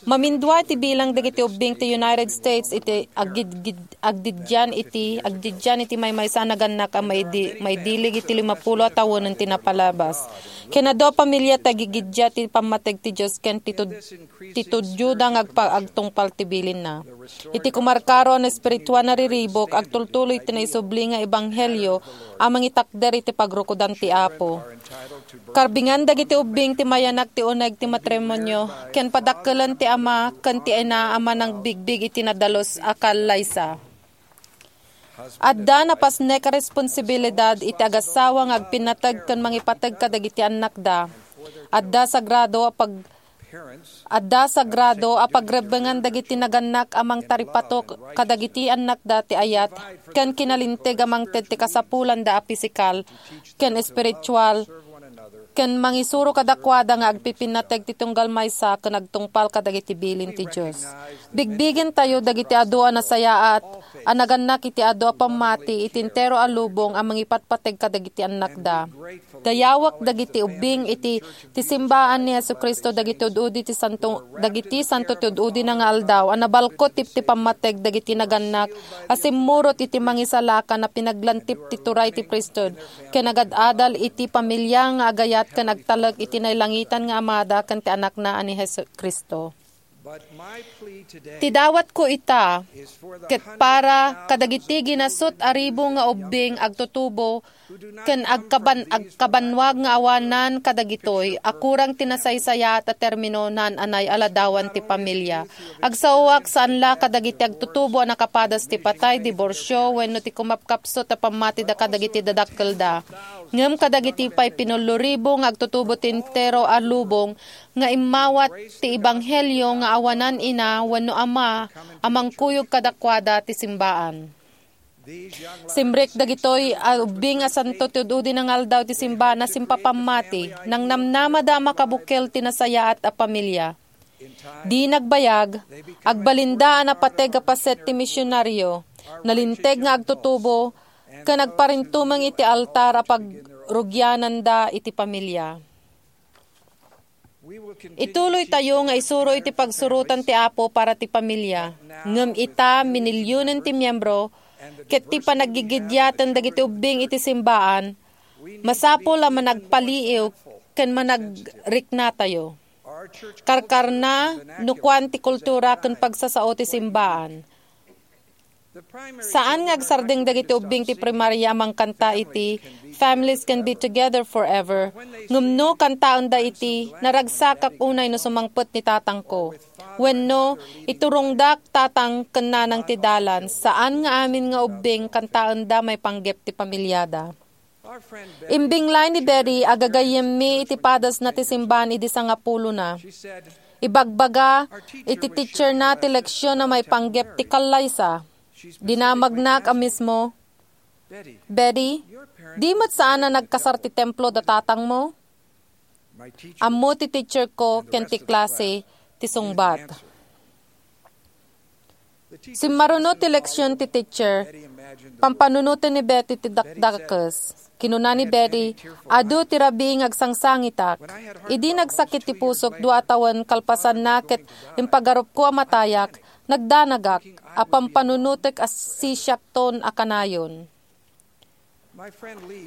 mamindua ti bilang dagiti ubbing ti United States iti agid-, agdiddian iti, agdiddian iti maymaysa a nagannak a maidi-, maidilig iti limapulo a tawenen ti napalabas. Ken adu a pamilia ti agigiddia ti pammateg ti Dios ken ti tud-, ti tudioda nga agpa-, agtungpal ti bilinna. Iti kumarkaro a naespirituan a riribuk, agtultuloy ti naisubli nga ebanghelio a mangitakder iti pagrukodan ti Apo. Karbingan dagiti ubbing ti mayanak ti uneg ti matrimonio ken padakkel ti ama ken ti ina a manangbigbig iti nadalus a kallaysa. Adda napasnek a responsibilidad iti agasawa nga agpinnateg ken mangipateg kadagiti annakda. Adda sagrado a pag-, adda sagrado a pagrebbengan dagiti nagannak a mangtaripato kadagiti annakda ti ayat ken kinalinteg a mangted ti kasapulanda a pisikal ken espiritual ken mangisuro kadakuada nga agpipinnateg ti tunggal maysa ken agtungpal kadagiti bilin ti Dios. Bigbigentayo dagiti adu a nasayaat a nagannak iti adu a pammati iti entero a lubong a mangipatpateg kadagiti annakda. Dayawek dagiti ubbing iti ti simbaan ni Jesu-Cristo dagiti ud-udi ti santo, dagiti santo ti ud-udina nga aldaw a nabalkot ti, ti pammateg dagiti nagannak a simmurot iti mangisalakan a pinaglantip ti turay ti priesthood ken agad-adal iti pamilia nga agayat ken agtalek iti nailangitan nga Amada ken ti Anakna a ni Jesu-Cristo. Ti dawatko ita ket para kadagiti ginasut a ribu nga ubbing agtutubo ken agkaban-, agkabannuag nga awanan kadagitoy a kurang ti nasaysayaat a termino naan-anay a ladawan ti pamilia. Agsaoak saan la kadagiti agtutubo a nakapadas ti patay, diborsio, wenno ti kumapkapsut a pammatida kadagiti dadakkelda. Ngem kadagiti pay pinullo ribu nga agtutubo ti entero a lubong nga immawat ti ebanghelio nga awanan ina wenno ama a mangkuyog kadakuada ti simbaan. Simrek dagitoy a ubbing a santo ti ud-udi nga aldaw ti simbaan a simpapammati, nangnamnamada a makabukel ti nasayaat a pamilia. Di nagbayag, agbalinda a napateg a paset ti misionario, nalinteg nga agtutubo, ken agparintumeng iti altar a pagrugiananda iti pamilia. Ituloytayo nga isuro iti pagsurotan ti Apo para ti pamilia. Ngem ita, minilionen ti miembro, ket ti panaggigidiaten dagiti ubbing iti simbaan, masapul a managpaliiw ken managriknatayo. Karkarna no kuan ti kultura ken pagsasao ti simbaan. Saan nga agsardeng dagiti ubbing ti primaria a mangkanta iti Families Can Be Together Forever, ngem no kantaenda iti Naragsakak unay no sumangpet ni tatangko, wenno Iturongdak, tatang ken nanang, ti dalan, saan nga amin nga ubbing kantaenda maipanggep ti pamiliada. Imbinglay ni Betty a gagayyemmi iti padasna ti simbaan idi sangapulona. Ibagbaga iti teacherna ti leksion a maipanggep ti kallaysa. Dinamagnak a mismo, "Betty, di met saan a nagkasar ti templo da tatangmo?" Ammo ti teacher ko ken ti klase ti sungbat. Simmaruno ti leksion ti teacher. Pampanunoten ni Betty ti dakdakes. Kinuna ni Betty, "Adu ti rabii nga agsangsangitak. Idi nagsakit ti pusok dua a tawen kalpasanna ket impagarupko a matayak, nagdanagak a pampanunotek a sisiakton a kanayon."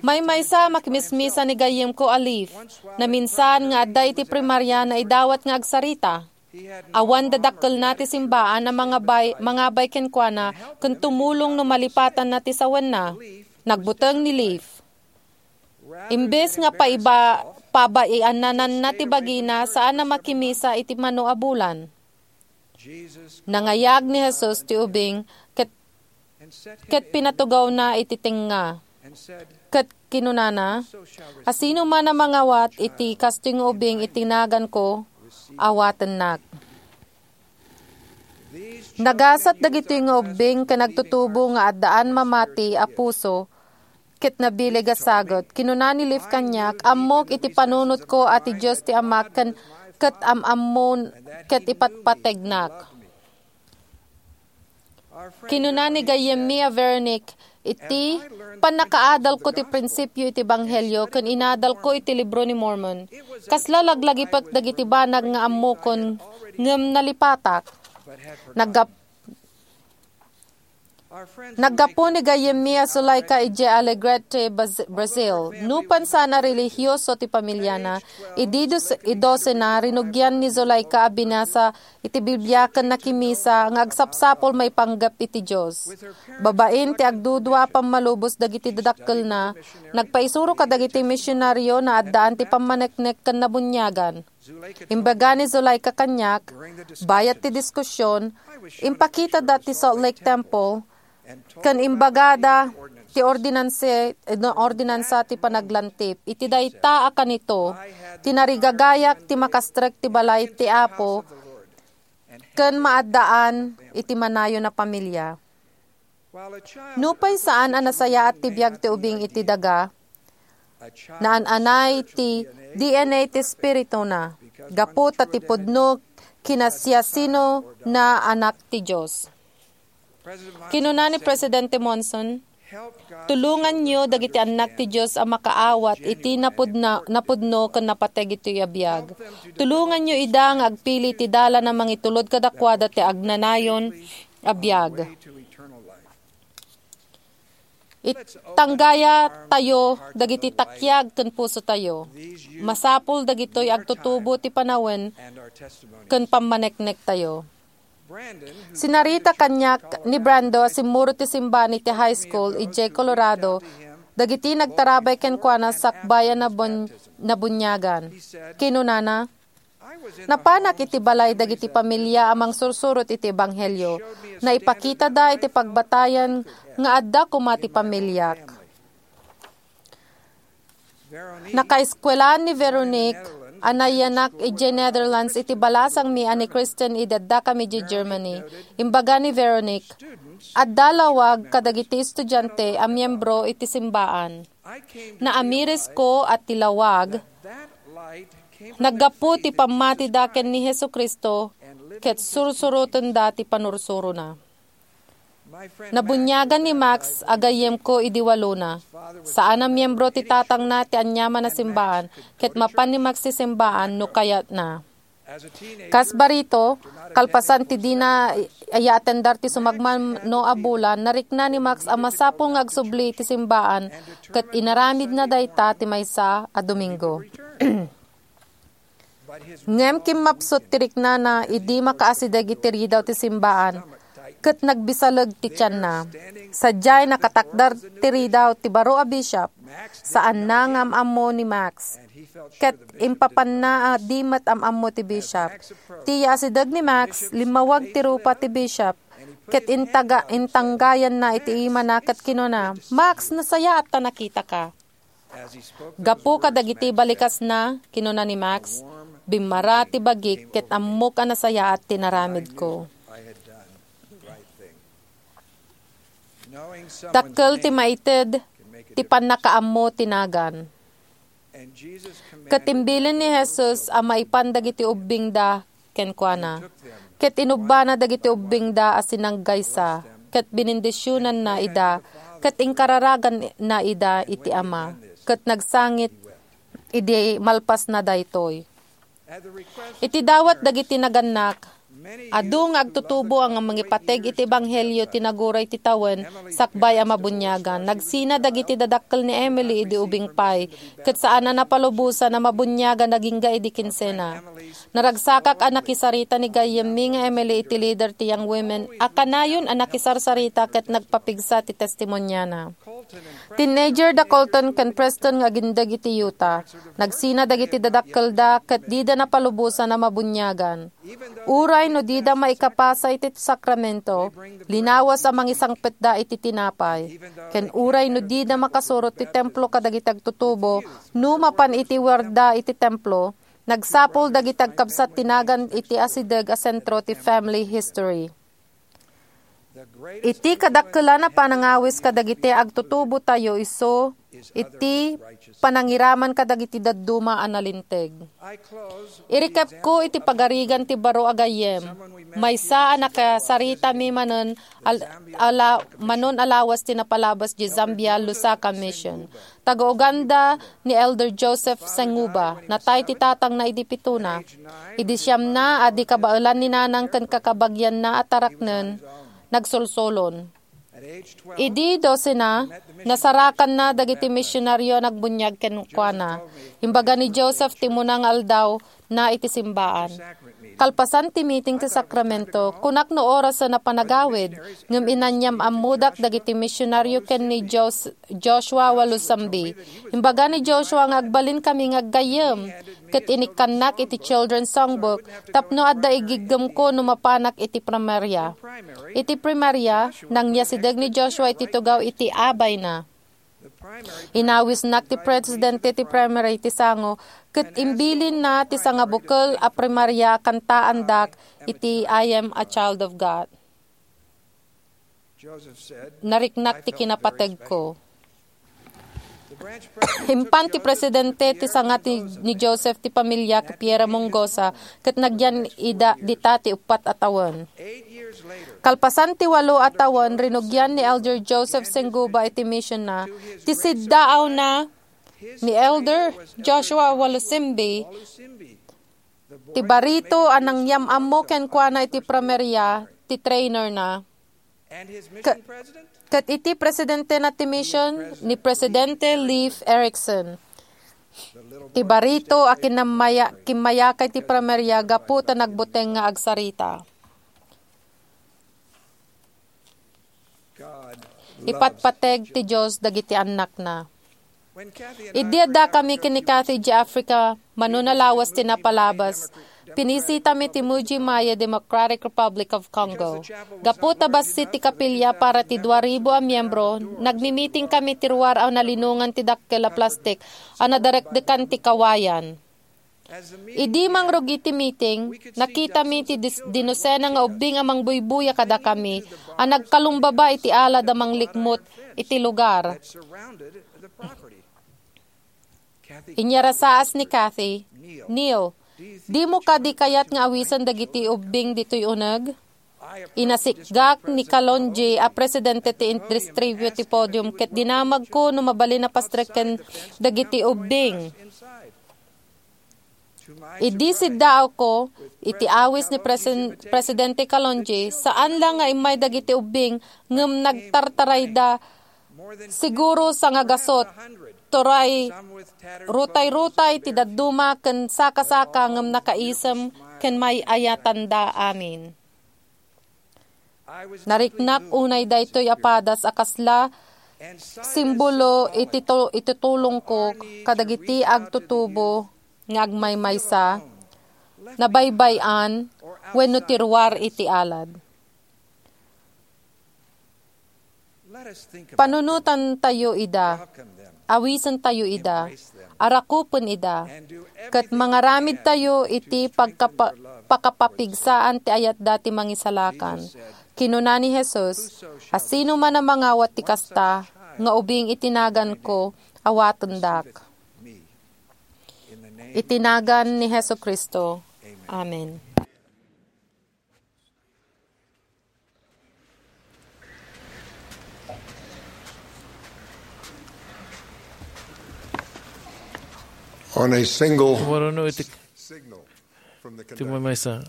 Maymaysa a makimismisa ni gayyemko a Leif. Naminsan nga adda iti primaria, naidawat nga agsarita. Awan dadakkelna ti simbaan a mangabay, mangabay kenkuana ken tumulong no malipatanna ti sawenna. Nagbuteng ni Leif. Imbes nga paiba-, pabaianananna ti bagina, saan a makimisa iti mano a bulan. Nangayag ni Jesus ti ubing ket, ket pinatugawna iti tengnga. Ket kinunana, "Asinoman a mangawat iti kastoy nga ubing iti naganko, awatennak." Nagasat dagitoy nga ubbing ken agtutubo nga addaan mamati a puso ket nabileg a sagut. Kinuna ni Leif kaniak, "Ammok iti panunotko a ti Dios ti Amak ken ket am-ammon ket ipatpategnak." Kinuna ni gayyemmi a Veronique, "Iti pannakaadalko ti prinsipio iti Ebanghelio ken inadalko iti Libro ni Mormon, kasla laglagipek dagiti banag nga ammokon ngem nalipatak." Naggap-, naggapu ni gayyemmi a Zuleika idiay Alegrete, Baz-, Brazil. Nupan saan a relihioso ti pamiliana, idi dos-, idosena, rinugian ni Zuleika a binasa iti Biblia ken nakimisa nga agsapsapul maipanggep iti Dios. Babaen ti agdudua a pammalubos dagiti dadakkelna, nagpaisuro kadagiti misionario nga addaan ti pammaneknek ken nabuniagan. Imbaga ni Zuleika kaniak, bayat ti diskusion, impakitada ti Salt Lake Temple, ken imbagada ti ordinansa, ordinansa ti panaglantip. Iti dayta a kanito, tinarigagayak ti makastrek ti balay ti Apo ken maaddaan iti manayon a pamilia. Nupay saan a nasayaat ti biag ti ubing iti daga, naan-anay ti D N A ti espirituna, gapu ta ti pudno kinasiasino na anak ti Dios. Kinuna ni Presidente Monson, "Tulonganyo dagiti annak ti Dios a makaawat iti napudna-, napudno ken napateg iti abiag. Tulonganyo ida nga agpili ti dalan a mangitulod kadakuada ti agnanayon a biag." Itanggaya tayo dagiti takiag ken puso tayo. Masapul dagitoy agtutubo ti panawen ken pammaneknek tayo. Sinarita kaniak ni Brando a simmurot ti simbahan iti high school idiay Colorado dagiti nagtarabay kenkuana sakbay a nabun-, nabuniagan. Kinunana, "Napanak iti balay dagiti pamilia a mangsursurot iti ebanghelio. Naipakitada iti pagbatayan nga adda koma ti pamiliak." Nakaeskuelaan ni Veronique a nayanak idiay Netherlands iti balasangmi a ni Kristen idi addakami idiay Germany. Imbaga ni Veronique, "Adda lawag kadagiti estudiante a miembro iti simbaan. Naamirisko a ti lawag naggapu ti pammatida ken ni Jesu-Cristo ket sursurotenda ti panursurona." Nabuniagan ni Max a gayyemko idi walona. Saan a miembro ti tatangna ti aniaman a simbaan, ket mapan ni Max ti simbaan no kayatna. Kas barito, kalpasan ti dina aya atendar ti sumagmamano a bulan, narikna ni Max a masapul nga agsubli iti simbaan ket inaramidna dayta ti maysa a Domingo. Ngem kimmapsut ti riknana idi makaasideg iti ridaw ti simbaan ket nagbisaleg ti tianna. Sadiay nakatakder ti ridaw ti baro a bishop, saanna nga am-ammo ni Max. Ket impapanna a di met am-ammo ti bishop. Ti yaasideg ni Max, limmawag ti rupa ti bishop, ket intaga-, intanggayanna iti imana ket kinuna, "Max, nasayaat ta nakitaka." Gapu kadagiti balikasna, kinuna ni Max, "Bimmara ti bagik ket ammok a nasayaat ti naramidko." Dakkel ti maited ti pannakaammo ti nagan. Ket imbilin ni Jesus a maipan dagiti ubbingda kenkuana. Ket inubbana dagiti ubbingda a sinanggaysa, ket binindisionanna ida, ket inkararaganna ida iti Ama, ket nagsangit idi malpasna daytoy. Iti dawat dagiti nagannak, adu nga agtutubo a nga mangipateg iti ebanghelio ti naguray ti tawen sakbay a mabuniagan. Nagsina dagiti dadakkel ni Emily idi ubing pay, ket saan a napalubosan a mabuniagan agingga idi kinsena. Naragsakak a nakisarita ni gayyemmi nga Emily iti lider ti Young Women a kanayon a nakisarsarita ket nagpapigsa ti testimoniana. Teenager da Colton ken Preston nga agindeg iti Utah. Nagsina dagiti dadakkelda ket dida napalubosan a mabuniagan. Uray no dida maikapasa iti sakramento, linawas a mangisangpetda iti tinapay. Ken uray no dida makasurot ti templo kadagiti agtutubo, no mapan iti warda iti templo, nagsapul dagiti agkabsat ti nagan iti asideg a sentro ti family history. Iti kadakkelan a panangawis kadagiti agtutubotayo isu iti panangiraman kadagiti dadduma a nalinteg. Irikepko iti pagarigan ti baro a gayyem. Maysa a nakasaritami manen al-, ala-, manon a lawas ti napalabas di Zambia, Lusaka Mission. Taga-Uganda ni Elder Joseph Senguba. Natay ti tatangna idi pitona. Idi siamna a di kabaelan ni nanang ken kakabagianna a taraknen, nagsolsolon. Idi dosena, nasarakanna dagiti misionario a nagbuniag kenkuana. Imbaga ni Joseph ti umuna nga aldaw na iti simbaan. Kalpasan ti meeting ti sakramento, kunak no orasen a panagawid, ngem inanyam-ammodak dagiti misionario ken ni Jos-, Joshua Walusimbi. Imbaga ni Joshua nga agbalinkami nga aggayyem, ket inikkannak iti Children's Songbook tapno adda igiggemko no mapanak iti primaria. Iti primaria, nangyasideg ni Joshua iti tugaw iti abayna. Inawisnak ti presidente ti primary ti sango, ket imbilinna ti sangabukel a primaria a kantaandak iti "I Am a Child of God." Nariknak ti kinapategko. Impan ti presidente ti sanga ti, ni Joseph ti pamilia Piera Mongosa, ket nagyan ida dita ti uppat a tawen. Kalpasan ti walo a tawen, rinugian ni Elder Joseph Senguba iti missionna ti siddaawna ni Elder Joshua Walusimbi, ti barito a nangyam-ammo kenkuana iti primaria ti trainerna. Ke-, ket iti presidentena ti mission ni Presidente Leif Erickson. Ti barito a kinamaya-, kimmayakay ti primaria gapu ta nagbuteng nga agsarita. Ipatpateg ti Dios dagiti annakna. Idi addakami ken ni Kathy idiay Africa, mano nalawas ti napalabas, pinisitami ti Mbuji-Mayi Democratic Republic of Congo. Gapu ta bassit ti kapilya para ti dua ribu a miembro, nagmimitingkami ti ruar a nalinongan ti dakkel a plastik a nadarekdekan ti kawayan. Idi mangrugi ti meeting, nakitami ti dis-, dinosena nga ubbing a mangbuybuya kadakami a nagkalumbaba iti alad a manglikmot iti lugar. Inyarasaas ni Kathy, "Neil, dimo kadi kayat nga awisen dagiti ubbing ditoy uneg?" Inasikgak ni Kalonji a presidente ti distribuyo ti podium ket dinamagko no mabalin a pastreken dagiti ubbing. Idi siddaawko iti awis ni Presen-, Presidente Kalonji, saan la nga immay dagiti ubbing ngem nagtartarayda, siguro sangagasut, turay rutay-rutay ti dadduma ken saka-saka ngem nakaisem ken may-ayatanda amin. Nariknak unay daytoy a padas a kasla simbolo iti tu-, iti tulongko kadagiti agtutubo nga agmaymaysa, nabaybay-an, wenno ti ruar iti alad. Panunotantayo ida, awisentayo ida, arakupen ida, ket mangaramidtayo iti pagkapa-, pakapapigsaan ti ayatda ti mangisalakan. Kinuna ni Jesus, "Asinoman a mangawat ti kasta, nga ubing iti naganko, awatendak." Iti nagan ni Jesu-Cristo. Amen. On a single Sumurno iti signal from the ti conductor, maysa.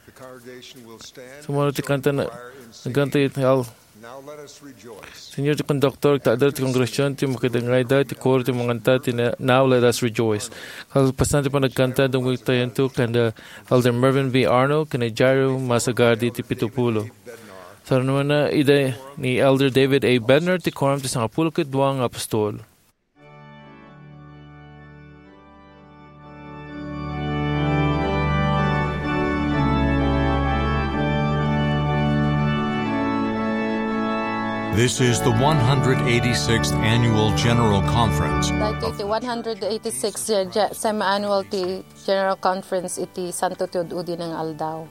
The congregation will stand. Sumurno ti kanta na, and choir in singing. Nagkanta iti al-, Now let us rejoice. Señor ti konduktor, agtader ti kongregasyon, ti makidengngayda, ti koro, ti manganta, ti na-, Now let us rejoice. Kalpasan ti panagkanta, dumngegtayo ken, uh, Elder Mervin V. Arnold, ken ni Jairo Masagardi ti pito pulo. Sarunoenna ida ni Elder David A. Bednar ti Quorum ti Sangapulo ket Dua nga Apostol. This is the one hundred eighty-sixth Annual General Conference. Daytoy ti one hundred eighty-six, uh, ge-, semi-annual ti General Conference iti Santo ti Ud-udi nga aldaw.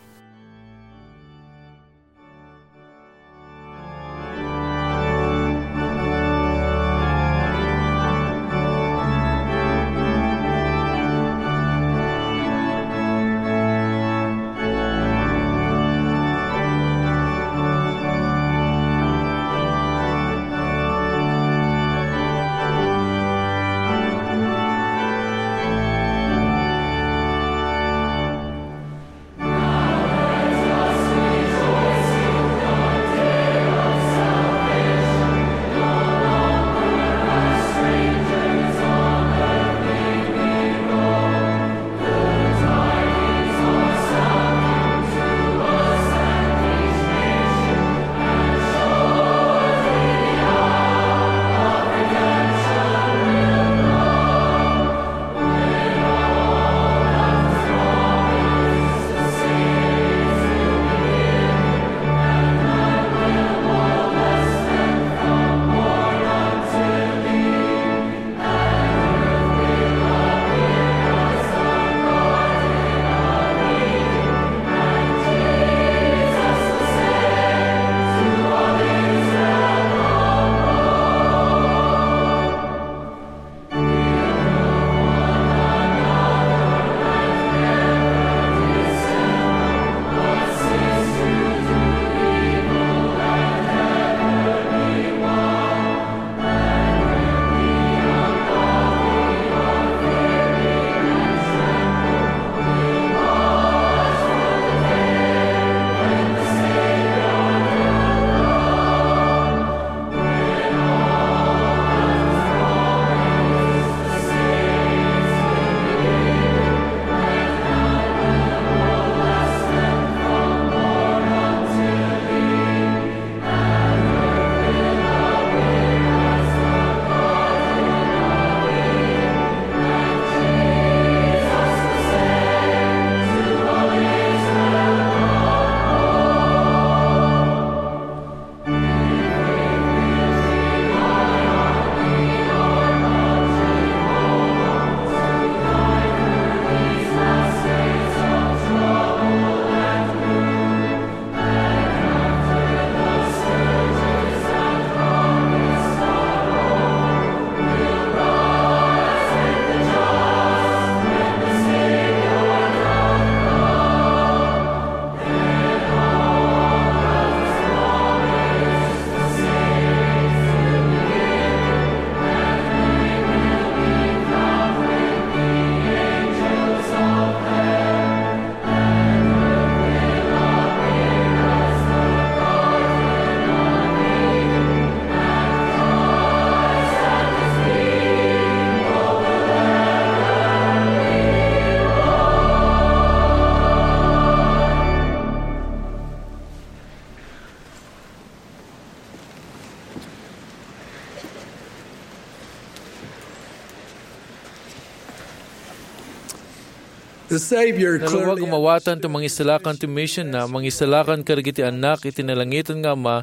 The Savior Nalawag clearly a mawatan ti mangisalakan ti mision na, mangisalakan kadagiti annak iti nalangitan nga Ama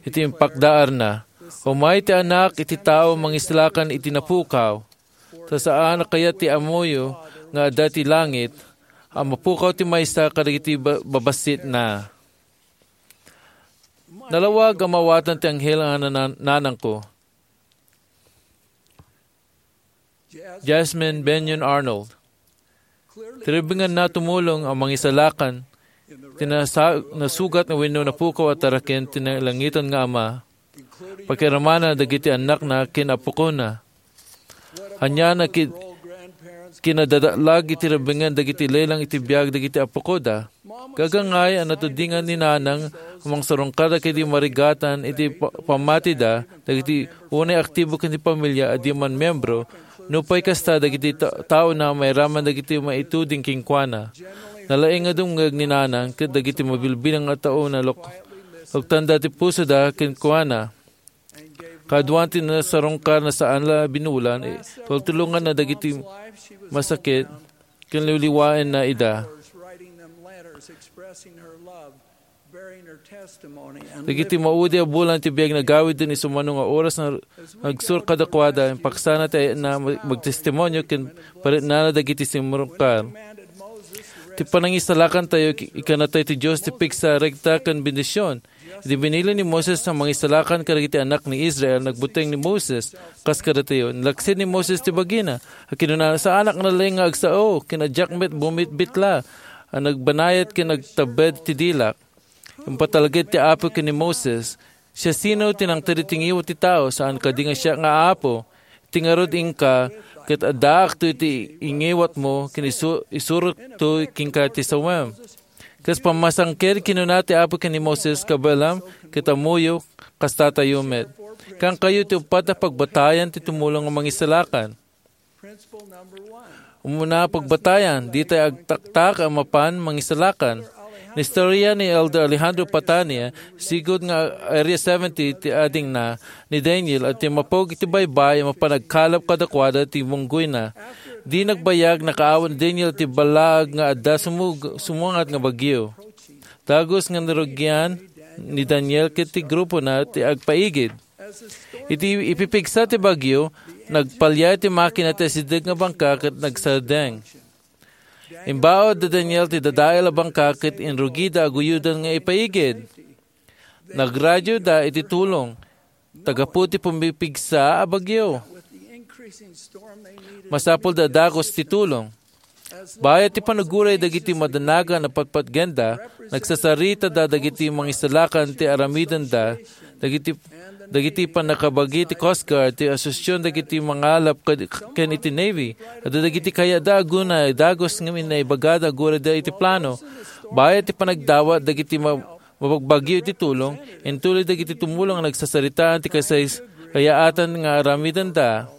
iti impakdaarna. Umay ti Anak iti tao mangisalakan iti napukaw. Ta saan a kayat ti ammoyo nga adda ti langit a mapukaw ti maysa kadagiti ba-, babassitna. Nalawag a mawatan ti anghel a nanan-, nanangko. Jasmine Bennion Arnold. Ti rebbengna tumulong a mangisalakan ti nasa-, nasugat wenno napukaw a taraken ti nalangitan nga Ama. Pakiramana dagiti annakna ken apukona. Ania na ki-, kinadadatlag iti rebbengen dagiti lelang iti biag dagiti apukoda. Gagangay a natudingan ni Nanang a mangsarungkar dagiti marigatan iti pa-, pammatida, dagiti unay aktibo ken ti pamilya a di man membro, nupay kasta dagiti ta-, taona mairaman dagiti maituding kenkuana. Nalaing a dumngeg ni Nanang ket dagiti mabilbilang a taona luk-, luktanda ti pusoda kenkuana. Kaduan ti nasarungkar na saan la binulan, eh, tultulonganna dagiti masakit, ken liwliwaenna ida. Dagiti maudi a bulan ti biag nagawid iti sumano nga oras nga agsur kadakuada, impaksana ti ayatna mag-, magtestimonio ken paritnana dagiti simrungkar. Ti panangisalakantayo, ikanatay ti Dios ti pigsa, rekta, ken bendision. Idi binili ni Moses a mangisalakan kadagiti annak ni Israel, nagbuteng ni Moses, kas kadatayo. Nilaksid ni Moses ti bagina, a kinunana, "Saanak nalaing nga agsao, ken a diak met bumitbitla, a nagbanayat ken nagtabbed ti dilak." Impatalged ti Apo ken ni Moses, "Siasino ti nangted iti ngiwat ti tao? Saan kadi nga siak nga Apo? Iti ngarud, inka, ket addaakto iti ingiwatmo, ken isu-, isurokto kenka ti sawem." Kas pammasangked, kinuna ti Apo ken ni Moses, "Kabaelam, ket ammoyo, kastatayo met." Kaankayo ti uppat a pagbatayan ti tumulong a mangisalakan. Umuna a pagbatayan, ditay agtaktak a mapan mangisalakan. Inistorya ni Elder Alejandro Patania, sigud nga Area seventy ti adingna, ni Daniel a timmapog iti baybay a mapan agkalap kadakuada ti bunggoyna. Di nagbayag, nakaawat ni Daniel ti ballaag nga adda sumug-, sumungat nga bagyo. Dagus nga narugian ni Daniel ket ti grupona ti agpaigid. Iti ipipigsa ti bagyo, nagpaliay ti makina ti asideg nga bangka ket nagsardeng. Imbaud da Daniel ti dadael a bangka ket inrugida a guyoden nga ipaigid. Nagradioda iti tulong, ta gapu ti pumipigsa a bagyo, masapulda a dagus ti tulong. Bayat ti panaguray dagiti madanagan a patpatgenda, nagsasaritada dagiti mangisalakan ti aramidenda, dagiti, dagiti pannakabagi ti Coast Guard, ti asosion dagiti mangalap kad-, ken iti Navy, adda dagiti kayatda a gunay, dagus ngamin naibagada agurayda iti plano. Bayat ti panagdawat dagiti ma-, mabagbagyo iti tulong, intuloy dagiti tumulong a nagsasaritaan ti kasay-, kayaatan nga aramidenda.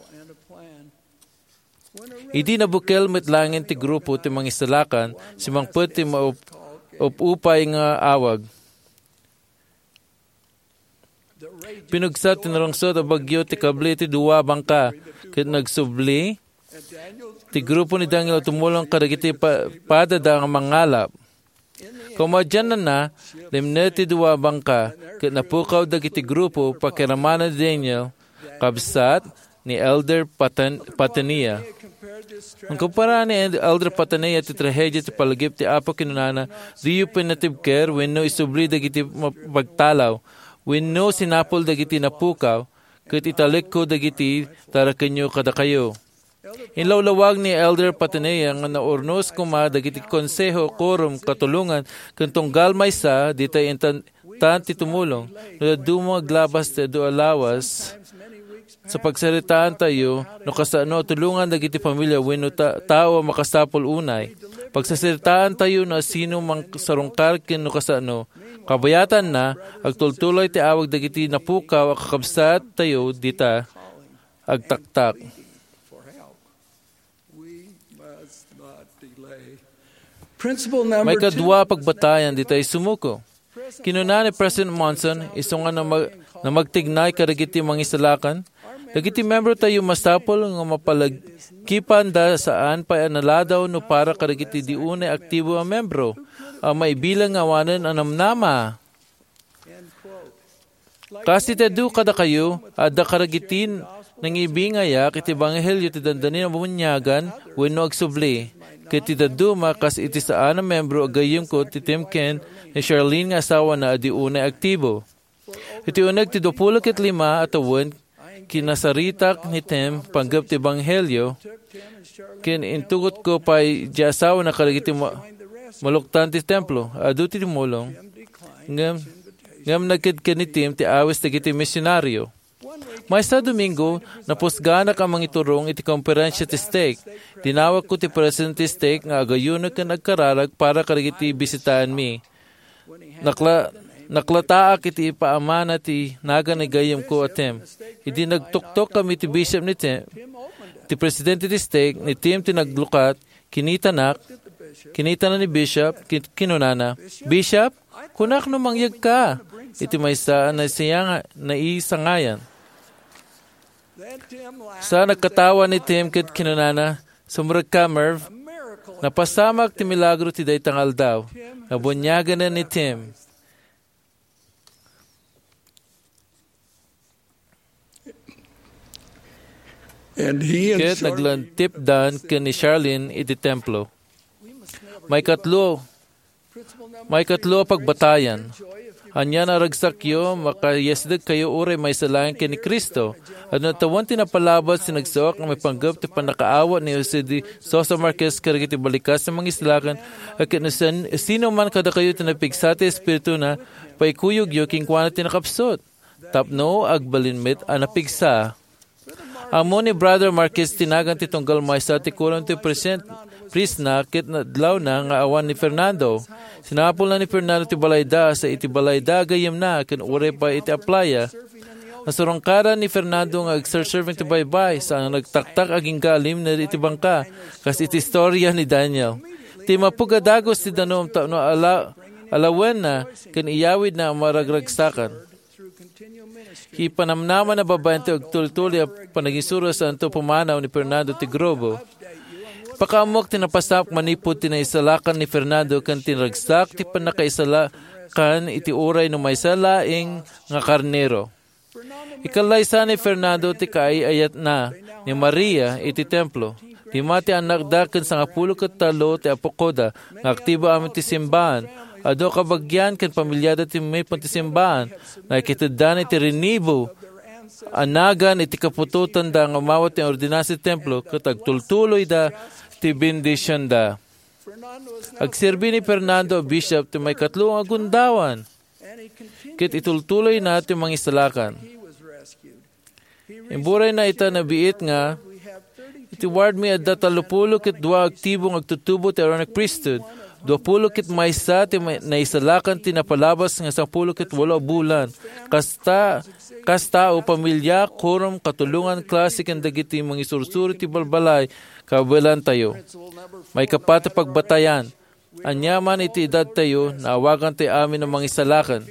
Idi nabukel met laengen ti grupo ti mangisalakan, simmangpet ti maup-, up-upay nga awag. Pinugsa ti narungsot a bagyo ti kable ti dua a bangka, ket nagsubli ti grupo ni Daniel a tumulong kadagiti pa-, padada nga mangalap. Kaumadianna, limned ti dua a bangka, ket napukaw dagiti grupo pakiramana ni Daniel, kabsat ni Elder Patan-, Patania. Nagkumpara ni Elder Patania ti trahedia ti palagip ti Apo, kinunana, "Diyo pinatibker wenno isubli dagiti ma-, pagtalaw, wenno sinapul dagiti napukaw, ket italekko dagiti tarakenyo kadakayo." Inlawlawag ni Elder Patanea nga naurnos koma dagiti konseho, quorum, katulongan, ken tunggal maysa, ditay intan-, tan ti tumulong. No dadduma aglabas ti adu a lawas, sa pagsaritaantayo, no kasano a tulongan dagiti pamilya wenno ta-, tao a makasapul unay. Pagsasaritaantayo no asino mangsarungkar ken no kasano. Kabayatanna, agtultuloy ti awag dagiti napukaw a kakabsattayo dita agtaktak. Principle number two. Maikadua a pagbatayan, ditay sumuko. Kinuna ni President Monson, isu nga namag-, namagtignay kadagiti mangisalakan, Dagiti membrotayo masapul nga mapalagipanda saan pay a naladaw no para kadagiti di unay aktibo a membro a maibilang nga awanen a namnama. Kas iti adu kadakayo, adda kadagiti nangibiingayak iti ebanghelio ti dandani a buniagan wenno agsubli. Ket ti dadduma, kas iti saan a membro a gayyemko ti team ken ni Charlene nga asawana a di unay aktibo. Iti uneg ti duapulo ket lima a tawen, kinasaritak ni Tim panggep ti ebanghelio, ken intugotko pay ti asawana kadagiti ma-, maluktan ti templo. Adu ti tumulong, ngem, ngem nagkedken ni Tim ti awis dagiti misionario. Maysa a Domingo, napusgaanak a mangiturong iti konferensia ti stake. Dinawatko ti presidente ti stake nga agayuno ken agkararag para kadagiti bisitaenmi. Nakla-, naklataak iti ipaamana ti nagan ni gayyemko a Tim. Idi nagtuktok kami ti bishop ni Tim, ti presidente ti stake, ni Tim ti naglukat, kinitanak, kinitana ni bishop, kin-, kinunana, "Bishop, kunak no mangyegka iti maysa a naisayanga-, naisangayan." Sa nagkatawa ni Tim ket kinunana, "Sumrekka, Merv. Napasamak ti milagro ti dayta nga aldaw. Nabuniaganan ni Tim." And he and Ket Charlene naglantipdan ken ni Charlene iti templo. Maikatlo, maikatlo a pagbatayan. Ania a ragsakyo, makayasdekkayo uray maysa laeng ken ni Cristo. Adda tawen ti napalabas ti nagsuak nga maipanggep ti pannakaawat ni Jose de Sosa Marquez kadagiti balikas a mangisalakan, ket no sin-, sino man kadakayo ti napigsa ti Espirituna, paikuyogyo kenkuana ti nakapsut. Tapno agbalin met a napigsa. Ammo ni Brother Marquez ti nagan ti tunggal maysa ti kuram ti present-, prisna ket nadlawna nga awan ni Fernando. Sinapulna ni Fernando ti balayda, sa iti balayda a gayyemna, ken uray pay iti aplaya. Nasurungkaran ni Fernando nga agserserve iti baybay, sa nagtaktak agingga a limned iti bangka, kas iti istoria ni Daniel. Timmapeg a dagus ti danum tapno ala-, alawenna ken iyawidna a maragragsakan. Ipanamnama na babaen ti agtultuloy a panagisuro santo pumanaw ni Fernando ti grupo. Pakaammok ti napasamak manipud ti naisalakan ni Fernando ken ti naragsak ti pannakaisalakan iti uray no maysa laeng nga karnero. Ikallaysa ni Fernando ti kaay-ayatna ni Maria iti templo. Dimma ti annakda ken sangapulo ket tallo ti apukoda nga aktibo amin ti simbaan. Adu a kabagian ken pamiliada ti umipon ti simbaan. Nakiteddan iti rinibo a nagan iti kaputotanda nga umawat ti ordinansa ti templo ket agtultuloyda ti bendisionda. Agserbi ni Fernando a bishop ti maikatlo nga gundawan, ket itultuloyna ti mangisalakan. Imburayna ita nabiit nga, "Iti wardmi adda tallopulo ket dua aktibo nga agtutubo ti Aaronic Priesthood, duapulo ket maysa ti may-, naisalakan ti napalabas nga sangapulo ket walo a bulan. Kasta, kas tao, pamilia, kurom, katulongan, klase ken dagiti mangisursuro ti balbalay, kabaelantayo." Maikapat a pagbatayan. Aniaman iti edadtayo, naawagantayo amin a mangisalakan.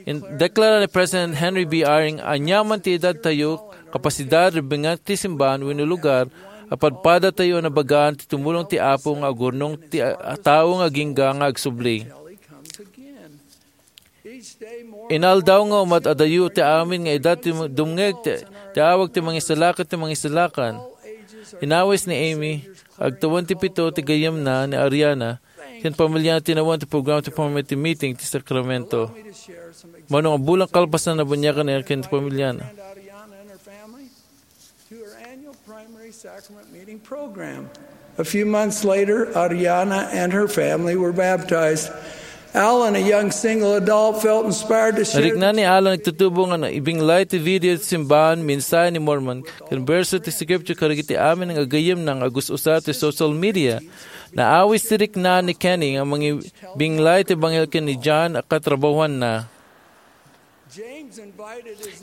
In-, deklara ni President Henry B. Eyring, "Aniaman ti edadtayo, kapasidad, rebbengak ti simbaan wenno lugar, a padpadatayo a nabagaan ti tumulong ti Apo nga agurnong ti a-, a tao nga agingga nga agsubli." Inaldaw nga umat-adayo ti amin nga edad ti dumngeg ti, ti awag ti mangisalakan ti mangisalakan. Inawis ni Amy, agtawen ti pito ti gayyemna ni Ariana, ken pamiliana tinawen ti programa ti pamati meeting ti sakramento. Mano nga bulan kalpasan, nabuniagan niya ken ti pamiliana. To her annual primary sacrament meeting program. A few months later, Ariana and her family were baptized. Alan, a young single adult, felt inspired to share Narikna ni Alan, nagtutubo nga naibinglay ti video ti simbahan, mensahe ni Mormon, ken berso ti scripture kadagiti amin nga gayyemna nga agus-usa ti social media. Naawis ti rikna ni Kenny nga mangibinglay ti ebanghelio ken ni John a katrabahoanna.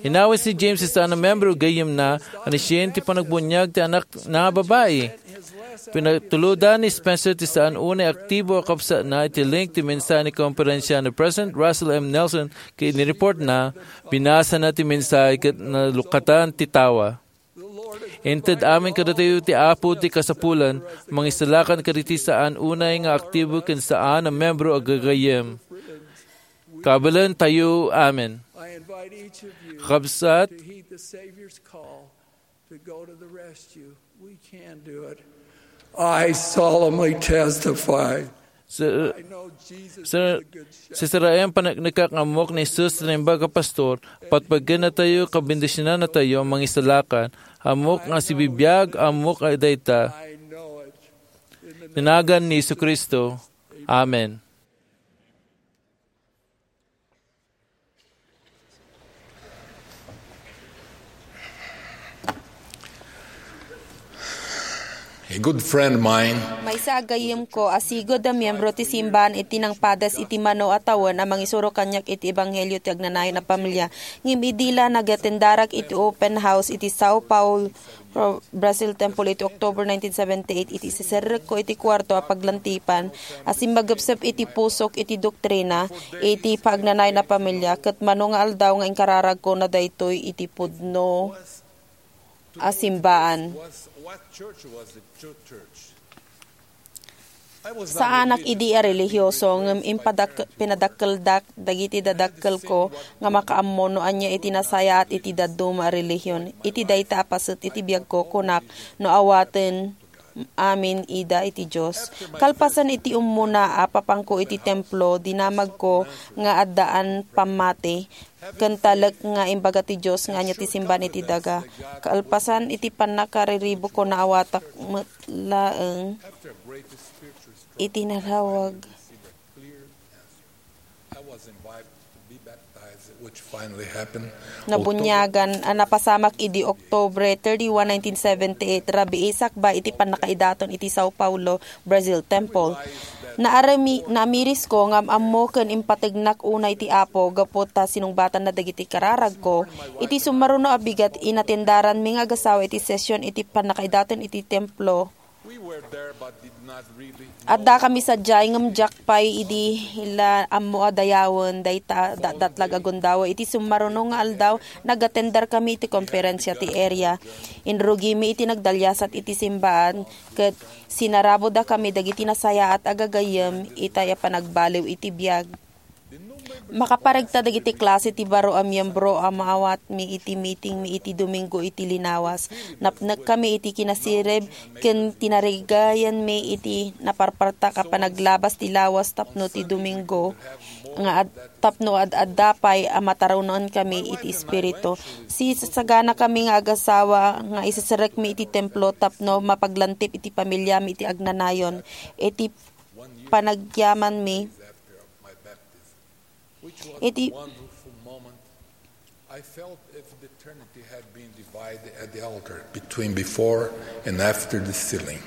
Inawis ni James ti saan a membro a gayyemna a naisuen ti panagbuniag ti anakna a babai. Pinatulodan ni Spencer ti saan unay aktibo a kabsatna iti link ti mensahe ni konferensia ni President Russell M. Nelson ket inireportna, binasana ti mensahe ket nalukatan ti tawa. Inted amin kadatayo ti Apo ti kasapulan, mangisalakan kadagiti saan unay nga aktibo ken saan a membro a gagayyem. Kabaelentayo, amen. I invite each of you Kabsat, to heed the Savior's call to go to the rescue. We can do it. I solemnly testify. Sir, I know Jesus sir, is a good shepherd. Sisiraen paneknekak nga ammok ni Jesus ti naimbag a pastor, patpagennatayo, kabendisionannatayo, mangisalakan, ammok nga sibibiag, ammok a dayta. I know it. In the name Tinagan ni Jesu Cristo. Amen. A good friend of mine. Maysa a gayyemko a sigud a miyembro ti simbahan iti nangpadas iti mano a tawen a mangisuro kaniak iti ebanghelio ti agnanayon a pamilia. Ngem idi la nagatendarak iti open house iti Sao Paulo, Pro-, Brazil Temple iti October nineteen seventy-eight, iti siserrekko iti kuarto a paglantipan a simmagepsep iti pusok iti doktrina iti paagnanayon a pamilia, ket mano nga aldaw nga inkararagko na daytoy iti pudno a simbaan. Saanak idi a relihioso, ngem impadak-, pinadakkeldak dagiti dadakkelko nga makaammo no ania iti nasayaat iti dadduma a relihion. Iti dayta a paset iti biagko, kunak, no awaten amin ida iti Dios. Kalpasan iti ummuna a papanko iti templo, dinamagko nga addaan pammati ken talek nga imbaga ti Dios nga ania ti simbaan iti daga. Kalpasan iti pannakariribukko, naawatak met laeng iti narawag. I was invited to be baptized, which finally happened. Nabuniagan a napasamak idi Oktubre thirty-one, nineteen seventy-eight, rabii sakbay iti pannakaidaton iti Sao Paulo, Brazil Temple. Naarami-, naamirisko nga am-ammo ken impategnak unay ti Apo gapu ta sinungbatanna dagiti kararagko. Iti summaruno a bigat, inatendaranmi nga agasawa iti session iti pannakaidaton iti templo. Addakami sadiay, ngem diak pay idi la ammo a dayawen dayta a datdatlag a gundaway. Iti summaruno nga aldaw, nagatenderkami iti konferensia ti area. Inrugimi iti nagdaliasat iti simbaan, ket sinarabudakami dagiti nasayaat a gagayyem itay a panagbaliw iti biag. Makaparegta dagiti klase ti baro a miyembro a maawatmi iti mitingmi iti Domingo iti linawas. Napnekkami iti kinasirib ken tinarigayanmi iti naparpartak a panaglabas ti lawas tapno ti Domingo nga ad-, tapno ad-adda pay a matarunonkami iti Espiritu. Sisasaganakami nga agasawa nga iseserekmi iti templo tapno mapaglantip iti pamiliami iti agnanayon. Iti panagyamanmi, iti I felt if eternity had been divided at the altar between before and after the sealing.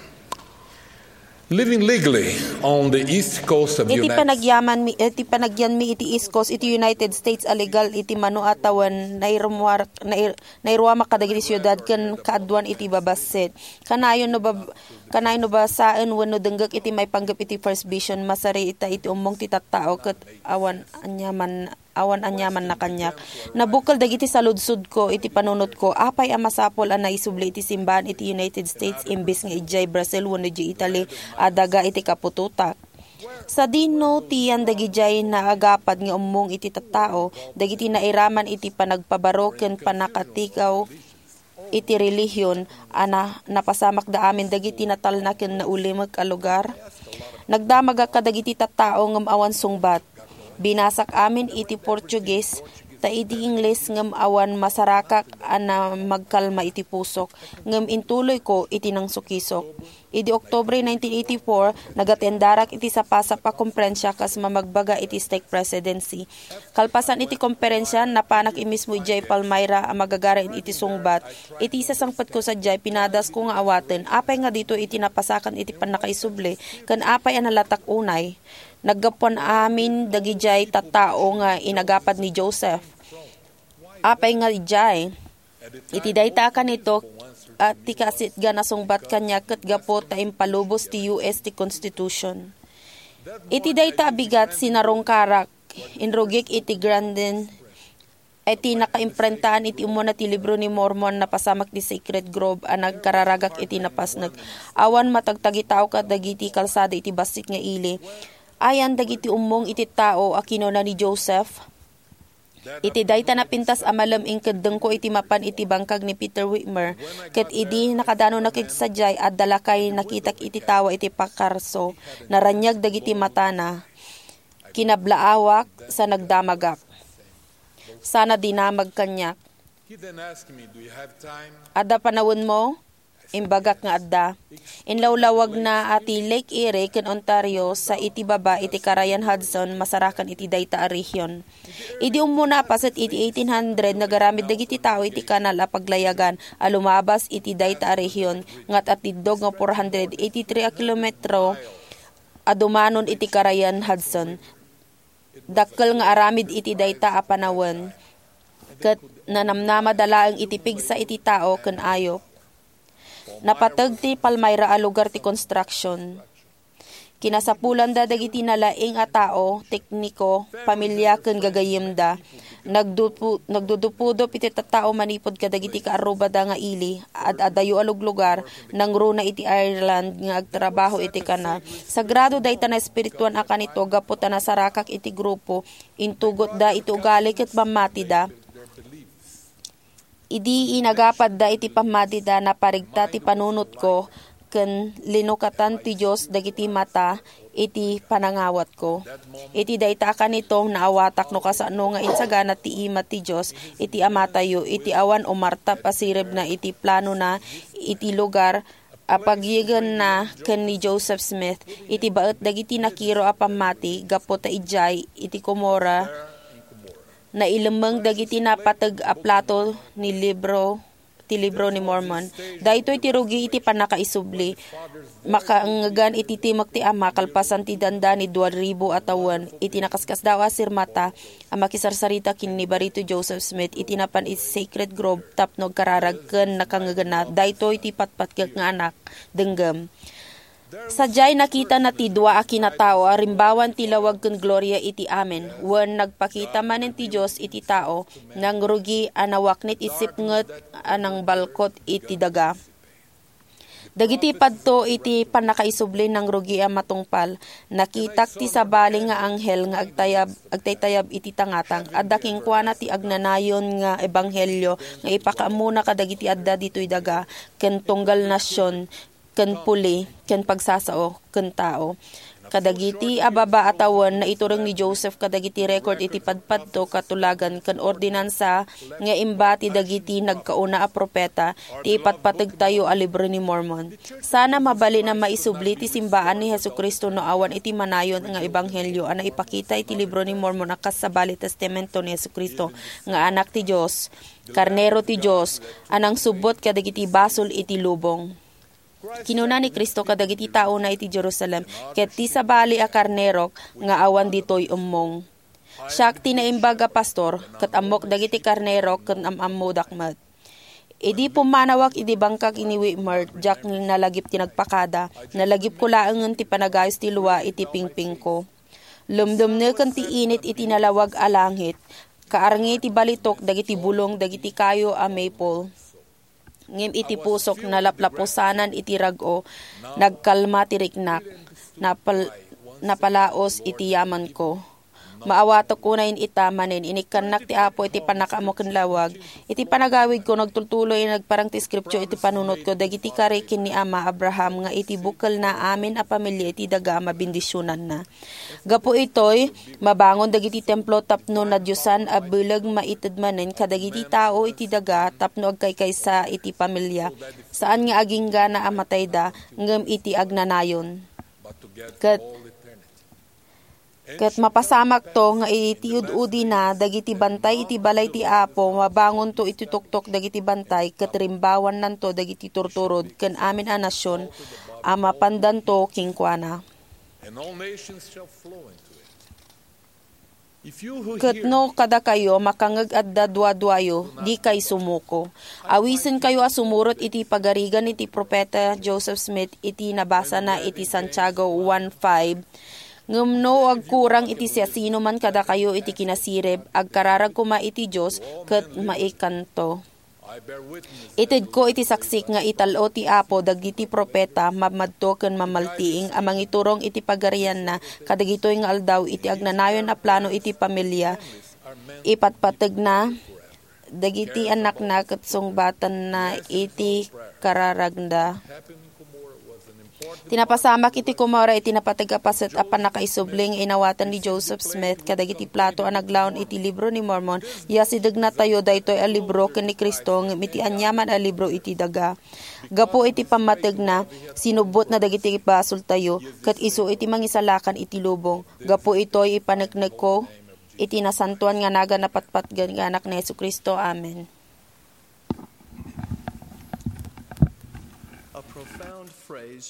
Living legally on the east coast of iti United panagyamanmi, iti panagyanmi iti East Coast iti United States a legal iti mano a tawen, nairumuar-, nair-, nairuamak kadagiti siudad ken kaaduan iti babassit. Kanayon no bab-, kanayon no basaen wenno denggek iti maipanggep iti First Vision, masarita iti ummong ti tattao ket awan aniaman, awan aniamanna kaniak. Nabukel dagiti saludsodko iti panunotko, apay a masapul a naisubli iti simbaan iti United States imbes nga idiay Brazil wenno idiay Italy a daga iti kaputotak? Sadino ti yan dagidiay naagapad nga ummong iti tattao, dagiti nairaman iti panagpabaro ken pannakatigaw iti relihion a na-, napasamakda amin dagiti natalna ken naulimek a lugar? Nagdamagak kadagiti tattao ngem awan sungbat. Binasak amin iti Portuguese, ta idi Ingles ngem awan masarakak a na-, magkalma iti pusok, ngem intuloyko iti nangsukisok. Idi Oktubre nineteen eighty-four, nagatendarak iti sapasap a komperensia kas mamagbaga iti stake presidency. Kalpasan iti komperensia, napanak imismo idiay Palmyra a magagaran iti sungbat. Iti isasangpetko sadiay, pinadasko nga awaten, apay nga ditoy iti napasakan iti pannakaisubli, ken apay a nalatak unay? Naggapuan amin dagidiay tattao nga inagapad ni Joseph. Apay nga idiay? Iti dayta a kanito, a ti kaasitgan a sungbat kaniak ket gapu ta impalubos ti U S ti Constitution. Iti dayta a bigat, sinarungkarak, inrugik iti Granden, iti nakaimprentaen iti umuna ti Libro ni Mormon, napasamak ti Sacred Grove a nagkararagak iti napasnek. Awan matagtagitao kadagiti kalsada iti bassit nga ili. Ayan dagiti ummong iti tao a kinuna ni Joseph. Iti dayta napintas a malem, inkeddengko iti mapan iti bangkag ni Peter Whitmer, ket idi nakadanonnak sadiay, adda lakay nakitak iti tawa iti pakarso. Naraniag dagiti matana. Kinablaawak sa nagdamagak. Sana dinamag kaniak. He then asked me, "Do you have time?" "Adda panawenmo?" Imbagak nga adda. Inlawlawagna a ti Lake Erie ken Ontario sa iti baba iti Karayan Hudson masarakan iti dayta a rehion. Idi ummuna a paset iti eighteen hundred, nagaramid dagiti tao iti kanal a paglayagan a lumabas iti dayta a rehion nga at-atiddog nga four hundred eighty-three a kilometro a dumanon iti Karayan Hudson. Dakkel nga aramid iti dayta a panawen, ket nanamnamada laeng iti pigsa iti tao ken ayup. Napateg ti Palmyra a lugar ti construction. Kinasapulanda dagiti nalaing a tao, tekniko, pamilia, ken gagayyemda. Nagdupu-, nagdudupudop iti tattao manipud kadagiti kaarrubada nga ili, ad-adayo a luglugar, nangruna iti Ireland nga agtrabaho iti kanal. Sagrado dayta naespirituan a kanito gapu ta nasarakak iti grupo, intugotda iti ugali ket pammatida. Idi inagapadda iti pammatida, naparigta ti panunotko ken linukatan ti Dios dagiti mata iti panangawatko. Iti dayta a kanito, naawatak no kasano nga insagana ti imat ti Dios iti Amatayo iti awan umartap a siribna iti planona iti lugar a pagyegenna ken ni Joseph Smith iti baet dagiti nakiro a pammati gapu ta idiay iti Cumorah nailemmeng dagiti napateg a plato ni libro ti Libro ni Mormon. Daytoy ti rugi iti pannakaisubli. Makangegan iti timek ti ama kalpasan ti dandani dua ribu a tawen iti nakaskasdaaw a sirmata a makisarsarita ken ni Barito Joseph Smith iti napan iti Sacred Grove tapno agkararag ken nakangeganna. Daytoy ti patpatgek nga anak, denggem. Sadiay, nakitana ti dua a kinatao a rimbawan ti lawag ken gloria iti amin. Wen, nagpakita manen ti Dios iti tao, nangrugi a nawaknit isip ket a nangbalkot iti daga. Dagiti padto iti pannakaisubli nangrugi a matungpal. Nakitak ti sabali nga anghel nga agtayab, agtaytayab iti tangatang. Adda kenkuana ti agnanayon nga ebanghelio nga ipakaammona kadagiti adda ditoy daga ken tunggal nasion, ken puli, ken pagsasao, ken tao. Kadagiti a baba a tawen, naitureng ni Joseph kadagiti record iti padpadto, katulagan, ken ordinansa nga imbati dagiti nagkauna a propeta ti ipatpategtayo a Libro ni Mormon. Sana mabalin a maisubli ti simbaan ni Jesu-Cristo no awan iti manayon nga ebanghelio a naipakita iti Libro ni Mormon a kas sabali testamento ni Jesu-Cristo nga Anak ti Dios, Karnero ti Dios, a nangsubbot kadagiti basol iti lubong. Kinuna ni Cristo kadagiti taona iti Jerusalem, "Ket ti sabali a karnerok nga awan ditoy ummong. Siak ti naimbag a pastor, ket ammok dagiti karnerok ket am-ammodak met." Idi pummanawak iti bangkag ni Whitmer, diak nalagip ti nagpakada. Nalagipko laengen ti panagayos ti lua iti pingpingko. Lumdumneken ti init iti nalawag a langit. Kaarngi ti balitok dagiti bulong dagiti kayo a maple. Ngem iti pusok, nalaplapusanan iti rag-o, nagkalma ti riknak, napal-, napalaos iti yamanko. Maawatek unayen ita manen, inikkannak ti Apo iti pannakaammo ken lawag. Iti panagawidko, nagtultuloy a nagparang ti Scripture iti panunotko dagiti kari ken ni Ama Abraham nga iti bukelna amin a pamilia iti daga a mabendisionanna. Gapu itoy, mabangon dagiti templo tapno nadiosan a bileg maited manen kadagiti tao iti daga tapno agkaykaysa iti pamilia, saan nga aginggana a matayda, ngem iti agnanayon. Ket, ket mapasamakto nga iti ud-udina dagiti bantay iti balay ti Apo, mabangonto iti tuktok dagiti bantay, ket rimbawannanto dagiti turturod ken amin a nasion a mapandanto kenkuana. And all nations shall flow into it. If you who Ket hear no kadakayo makangeg adda duaduayo, dikay sumuko. Awisenkayo a sumurot iti pagarigan iti Profeta Joseph Smith iti nabasana iti Santiago one five, Ngem no agkurang iti siasinoman kadakayo iti kinasirib, agkararag koma iti Dios ket maikanto. Itedko iti saksik nga ital-o ti Apo dagiti profeta, mamadto ken mamaltiing a mangiturong iti pagarianna kadagitoy nga aldaw iti agnanayon a plano iti pamilia. Ipatpategna dagiti annakna ket sungbatanna iti kararagda. Ti napasamak iti Cumorah iti napateg a paset a pannakaisubli nga inawatan ni Joseph Smith kadagiti plato a naglaon iti Libro ni Mormon. Yasidegnatayo daytoy a libro ken ni Cristo ngem iti aniaman a libro iti daga. Gapu iti pammategna, sinubbotna dagiti basoltayo, ket isu iti mangisalakan iti lubong. Gapu itoy, ipaneknekko iti nasantoan nga nagan a patpatgen nga Anak ni Jesu-Cristo. Amen.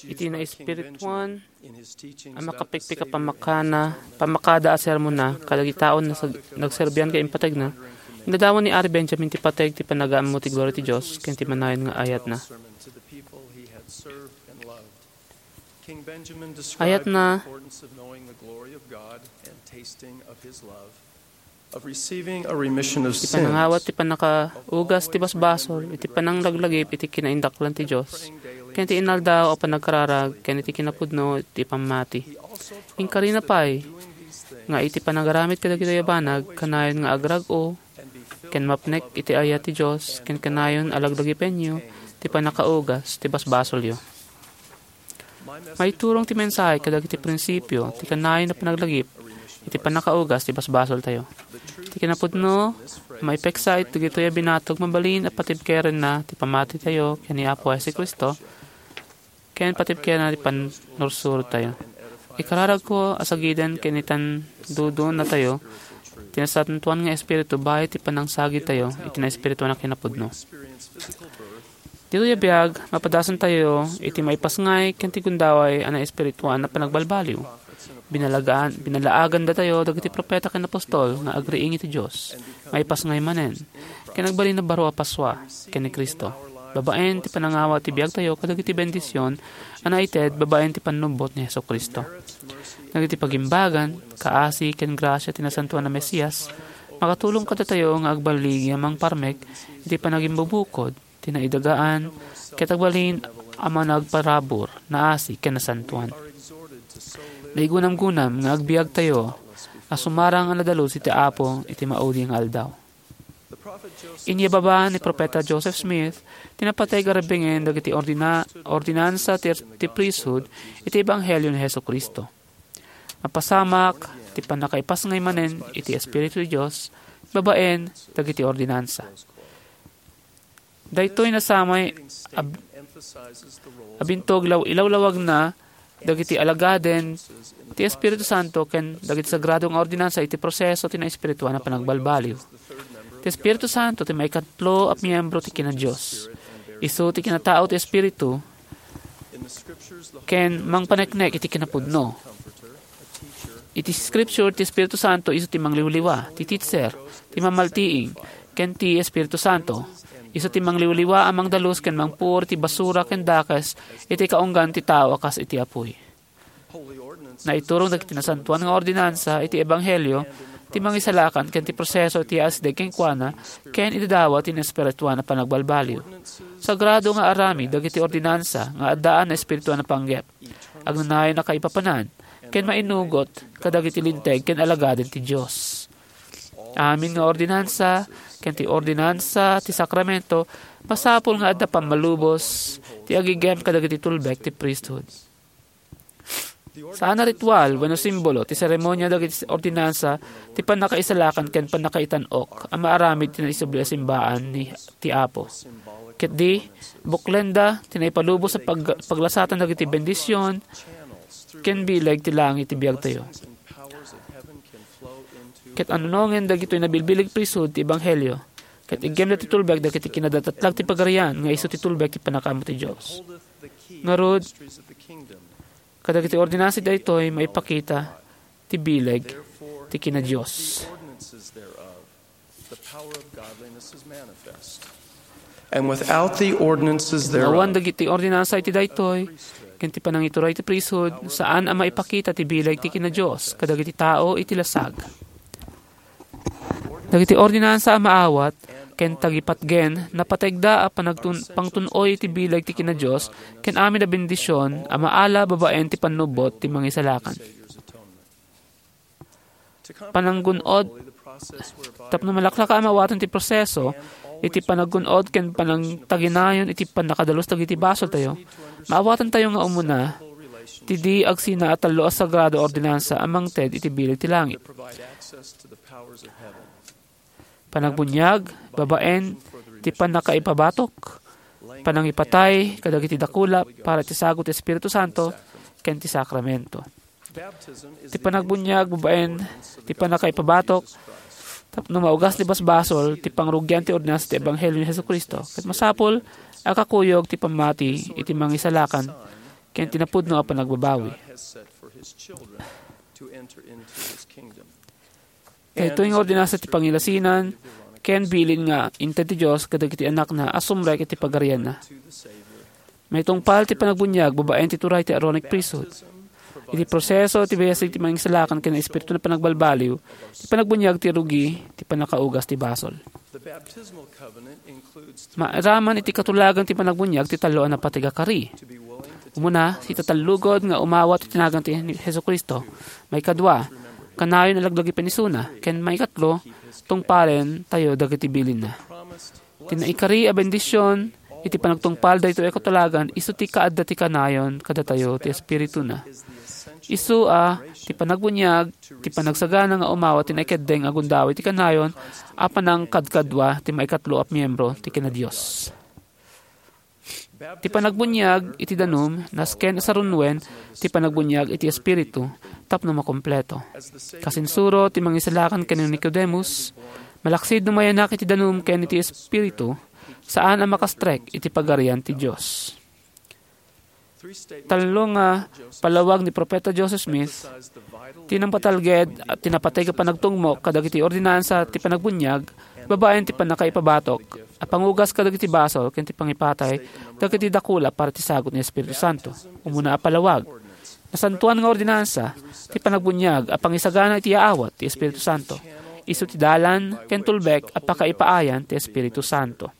Iti naespirituan a makapikpik a pammakana, pammakada a sermonna kadagiti taon a nagserbian ken impategna, inadawan ni Ari Benjamin ti pateg ti panagaammo ti gloria ti Dios ken ti manayon nga ayatna. Ayatna, ti panangawat ti pannakaugas ti basbasol iti pananglaglagip iti kinaindaklan ti Dios, ken ti inaldaw a panagkararag ken iti kinapudno ti pammati. Inkarina pay nga iti panagaramid kadagitoy a banag, kanayon nga agrag-o ken mapnek iti ayat ti Dios, ken kanayon a laglagipenyo ti pannakaugas ti basbasolyo. Maiturong ti mensahe kadagiti prinsipio ti kanayon a panaglagip iti pannakaugas ti basbasoltayo. Ti kinapudno, maipeksa iti dagitoy a binatog mabalin a patibkerenna ti pammatitayo ken ni Apo Jesu-Cristo ken patibkerenna ti pannursurotayo. Ikararagko a sagiden ken itandudonnatayo ti Nasantoan nga Espiritu bayo ti panangsagidtayo iti naespirituan a kinapudno. Ditoy a biag, mapadasantayo iti maipasngay ken ti gundaway a naespirituan a panagbalbaliw. Binalagaan, binalaagandatayo dagiti profeta ken apostol nga agriing iti Dios. Maipasngay manen, ken agbalin a baro a pasua ken ni Cristo, babaen ti panangawa ti biagtayo kadagiti bendision a naited babaen ti pannubbot ni Jesu-Cristo. Dagiti pagimbagan, kaasi, ken grasia ti Nasantoan a Mesias makatulong kadatayo nga agbaligi a mangparmek iti panagimbubukod ti naidagaan ket agbalin a managparabur, naasi, ken nasantoan. Naigunamgunam nga agbiagtayo a sumarang a nadalus iti Apo iti maudi nga aldaw. Inyababa ni Profeta Joseph Smith ti napateg a rebbingen dagiti ordina-, ordinansa ti, ti priesthood iti ebanghelio ni Jesu-Cristo. Mapasamak ti pannakaipasngay manen iti Espiritu ti Dios babaen dagiti ordinansa. Daytoy nasamay a, a bintog law-, ilawlawagna dagiti alagaden ti Espiritu Santo ken dagiti sagrado nga ordinansa iti proseso ti naespirituan a panagbalbaliw. Ti Espiritu Santo ti maikatlo a miyembro ti kina-Dios. Isu ti kinatao ti Espiritu ken mangpaneknek iti kinapudno. Iti Scripture, ti Espiritu Santo isu ti mangliwliwa, ti teacher, ti mamaltiing, ken ti Espiritu Santo. Isu ti mangliwliwa a mangdalus ken mangpuor ti basura ken dakes iti kaunggan ti tao a kas iti apuy. Naiturong dagiti nasantoan nga ordinansa iti ebanghelio ti mangisalakan ken ti proseso ti asideg kenkuana ken idadawa ti naespirituan a panagbalbaliw. Sagrado nga aramid dagiti ordinansa nga addaan naespirituan a panggep. Agnanayon a kaipapanan ken mainugot kadagiti linteg ken alagaden ti Dios. Amin nga ordinansa ken ti ordinansa ti sakramento, masapul nga adda pammalubos ti agigem kadagiti tulbek ti priesthood. Saan a ritual wenno simbolo ti seremonia dagiti ordinansa ti pannakaisalakan ken pannakaitan-ok a maaramid ti naisubli a simbaan ni ti Apo. Ketdi, buklenda ti naipalubos a pag-, paglasatan dagiti bendision ken bileg ti langit ti biagtayo. Ket anunongen dagitoy nabilbileg priesthood ti ebanghelio, ket iggemda ti tulbek dagiti kinadatatlag ti pagarian nga isu ti tulbek ti pannakaammo ti Dios. Ngarud, kadagiti ordinansa daytoy maipakita ti bileg ti kina-Dios. And without the ordinances thereof, awan dagiti ordinansa iti daytoy, ken ti panangituray ti priesthood, saan a maipakita ti bileg ti kina-Dios kadagiti tao iti lasag. Dagiti ordinansa a maawat ken tagipatgen, napategda a panagtun-, pangtun-oy iti bileg ti kina-Dios ken amin a bendision a maala babaen ti pannubbot ti Mangisalakan. Pananggun-od. Tapno malaklaka a maawatan ti proseso iti pananggun-od ken panangtaginayon iti pannakadalus dagiti basoltayo, maawatantayo nga umuna ti di agsina a tallo a sagrado a ordinansa a mangted iti bileg ti langit. Panagbuniag babaen ti pannakaipabatok, panangipatay kadagiti dakula para ti sagut ti Espiritu Santo ken ti sakramento. Ti panagbuniag babaen ti pannakaipabatok tapno maugas ti basbasol ti pangrugian ti ordinansa ti ebanghelio ni Jesu-Cristo, ket masapul a kakuyog ti pammati iti Mangisalakan ken ti napudno a panagbabawi. Daytoy nga ordinansa ti pangilasinan ken bilin nga inted ti Dios kadagiti anakna a sumrek iti pagarianna. Maitungpal ti panagbuniag babaen ti turay ti Aaronic priesthood. Iti proseso ti biasig ti Mangisalakan ken Espiritu a panagbalbaliw, ti panagbuniag ti rugi ti pannakaugas ti basol. Mairaman iti katulagan ti panagbuniag ti tallo a napateg a kari. Umuna, ti tatallugod nga umawat iti nagan ti Jesu-Cristo. Maikadua, kanayon a laglagipen isuna. Ken maikatlo, tungpalen tayo dagiti bilinna. Ti naikari a bendision iti panagtungpal daytoy a katulagan isu ti kaadda ti kanayon kadatayo ti Espirituna. Isu a ti panagbuniag ti panagsagana nga umawat ti naikeddeng a gundaway ti kanayon a panangkadkadua ti maikatlo a miembro ti kina-Dios. Ti panagbuniag iti danum nasken a sarunuen ti panagbuniag iti Espiritu tapno makompleto. Kasinsuro ti Mangisalakan ken ni Nicodemus, malaksid no mayanak iti danum ken iti Espiritu, saan a makastrek iti Pagarian ti Dios. Tallo nga palawag ni Profeta Joseph Smith ti nangpatalged a ti napateg a panagtungmo kadagiti ordinansa ti panagbuniag babaen ti pannakaipabatok a pangugas kadagiti basol ken ti pangipatay dagiti dakula para ti sagut ni Espiritu Santo. Umuna a palawag, nasantoan nga ordinansa ti panagbuniag a pangisagana iti yaawat ti Espiritu Santo. Isu ti dalan ken tulbek a pakaipaayan ti Espiritu Santo.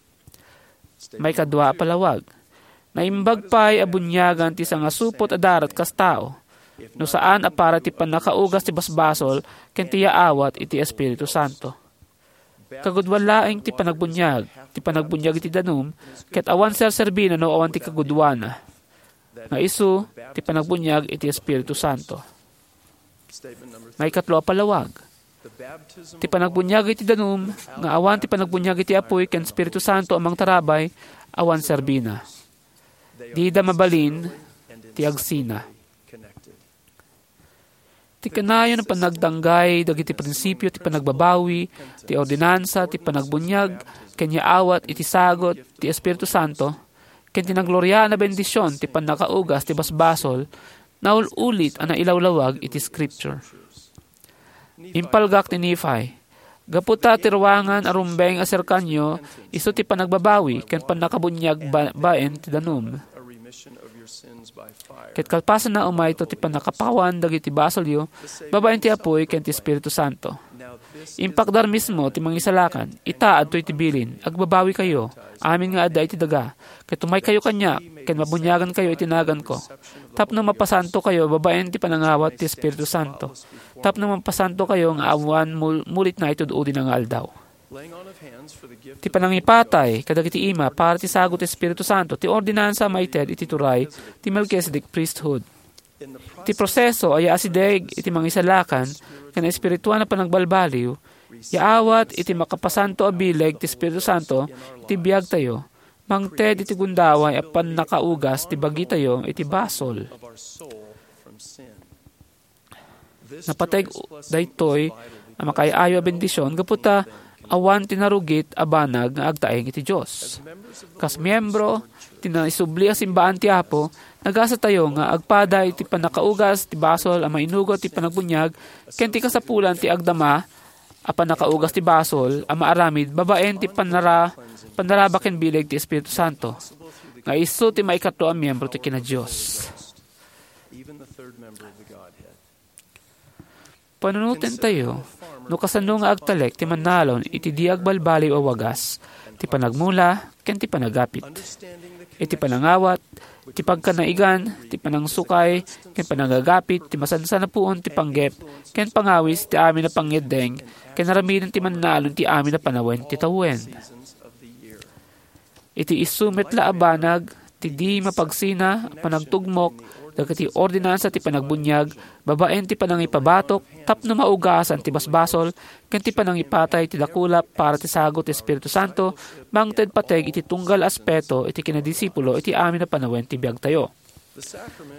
Maikadua a palawag, naimbag pay a buniagan ti sangasupot a darat kas tao, no saan a para ti pannakaugas ti basbasol ken ti yaawat iti Espiritu Santo. Kagudoan laeng ti panagbuniag, ti panagbuniag iti danum, ket awan serserbina no awan ti kagudoana, nga isu ti panagbuniag iti Espiritu Santo. Maikatlo a palawag, ti panagbuniag iti danum nga awan ti panagbuniag iti Apuy ken Espiritu Santo a mangtarabay, awan serbina. Dida mabalin ti agsina. Ti kanayon a panagdanggay dagiti prinsipio ti panagbabawi, ti ordinansa, ti panagbuniag, ken yaawat iti sagut ti Espiritu Santo, ken ti nagloriaan a bendision ti pannakaugas ti basbasol, naul-ulit a nailawlawag iti Scripture. Impalgak ni Nephi, gapu ta ti ruangan a rumbeng a serkanyo, isu ti panagbabawi ken pannakabuniag ba-, baen ti danum. Ket kalpasanna umayto ti pannakapawan dagiti basolyo babaen ti Apuy ken ti Espiritu Santo. Impakdar mismo ti Mangisalakan, ita adtoy ti bilin, agbabawikayo, amin nga adda iti daga, ket umaykayo kaniak, ken mabuniagankayo iti naganko, tapno mapasantokayo babaen ti panangawat ti Espiritu Santo, tapno mapasantokayo nga awan mul-, mulitna iti ud-udina nga aldaw. Ti panangipatay kadagiti ima para ti sagut ti Espiritu Santo ti ordinansa a maited iti turay ti Melkisedec priesthood. Ti proseso a yaasideg iti Mangisalakan ken espirituan a panagbalbaliw, yaawat iti makapasanto a bileg ti Espiritu Santo iti biagtayo, mangted iti gundaway a pannakaugas ti bagitayo iti basol. Napateg daytoy a makaay-ayo a bendision gapu ta awan ti narugit a banag nga agtaeng iti Dios. Kas miembro ti naisubli a simbaan ti Apo, nagasatayo nga agpada iti pannakaugas ti basol a mainugot ti panagbuniag ken ti kasapulan ti agdama a pannakaugas ti basol a maaramid babaen ti pannara-, pandaraba ken bileg ti Espiritu Santo, nga isu ti maikatlo a miembro ti kinadios. Panunotentayo no kasano nga agtalek ti mannalon iti di agbalbaliw a wagas, ti panagmula, ken ti panagapit. Iti panangawat, ti pagkanaigan, ti panangsukay, ken panagagapit, ti masansan a puon ti panggep, ken pangawis ti amin a pangngeddeng, ken aramiden ti mannalon ti amin a panawen ti tawen. Iti isu met la a banag ti di mapagsina a panagtugmok dagiti ordinansa ti panagbuniag babaen ti panangipabatok tapno maugasan ti basbasol ken ti panangipatay ti dakula para ti sagut ti Espiritu Santo, mangted pateg iti tunggal aspeto iti kinadisipulo iti amin a panawen ti biagtayo.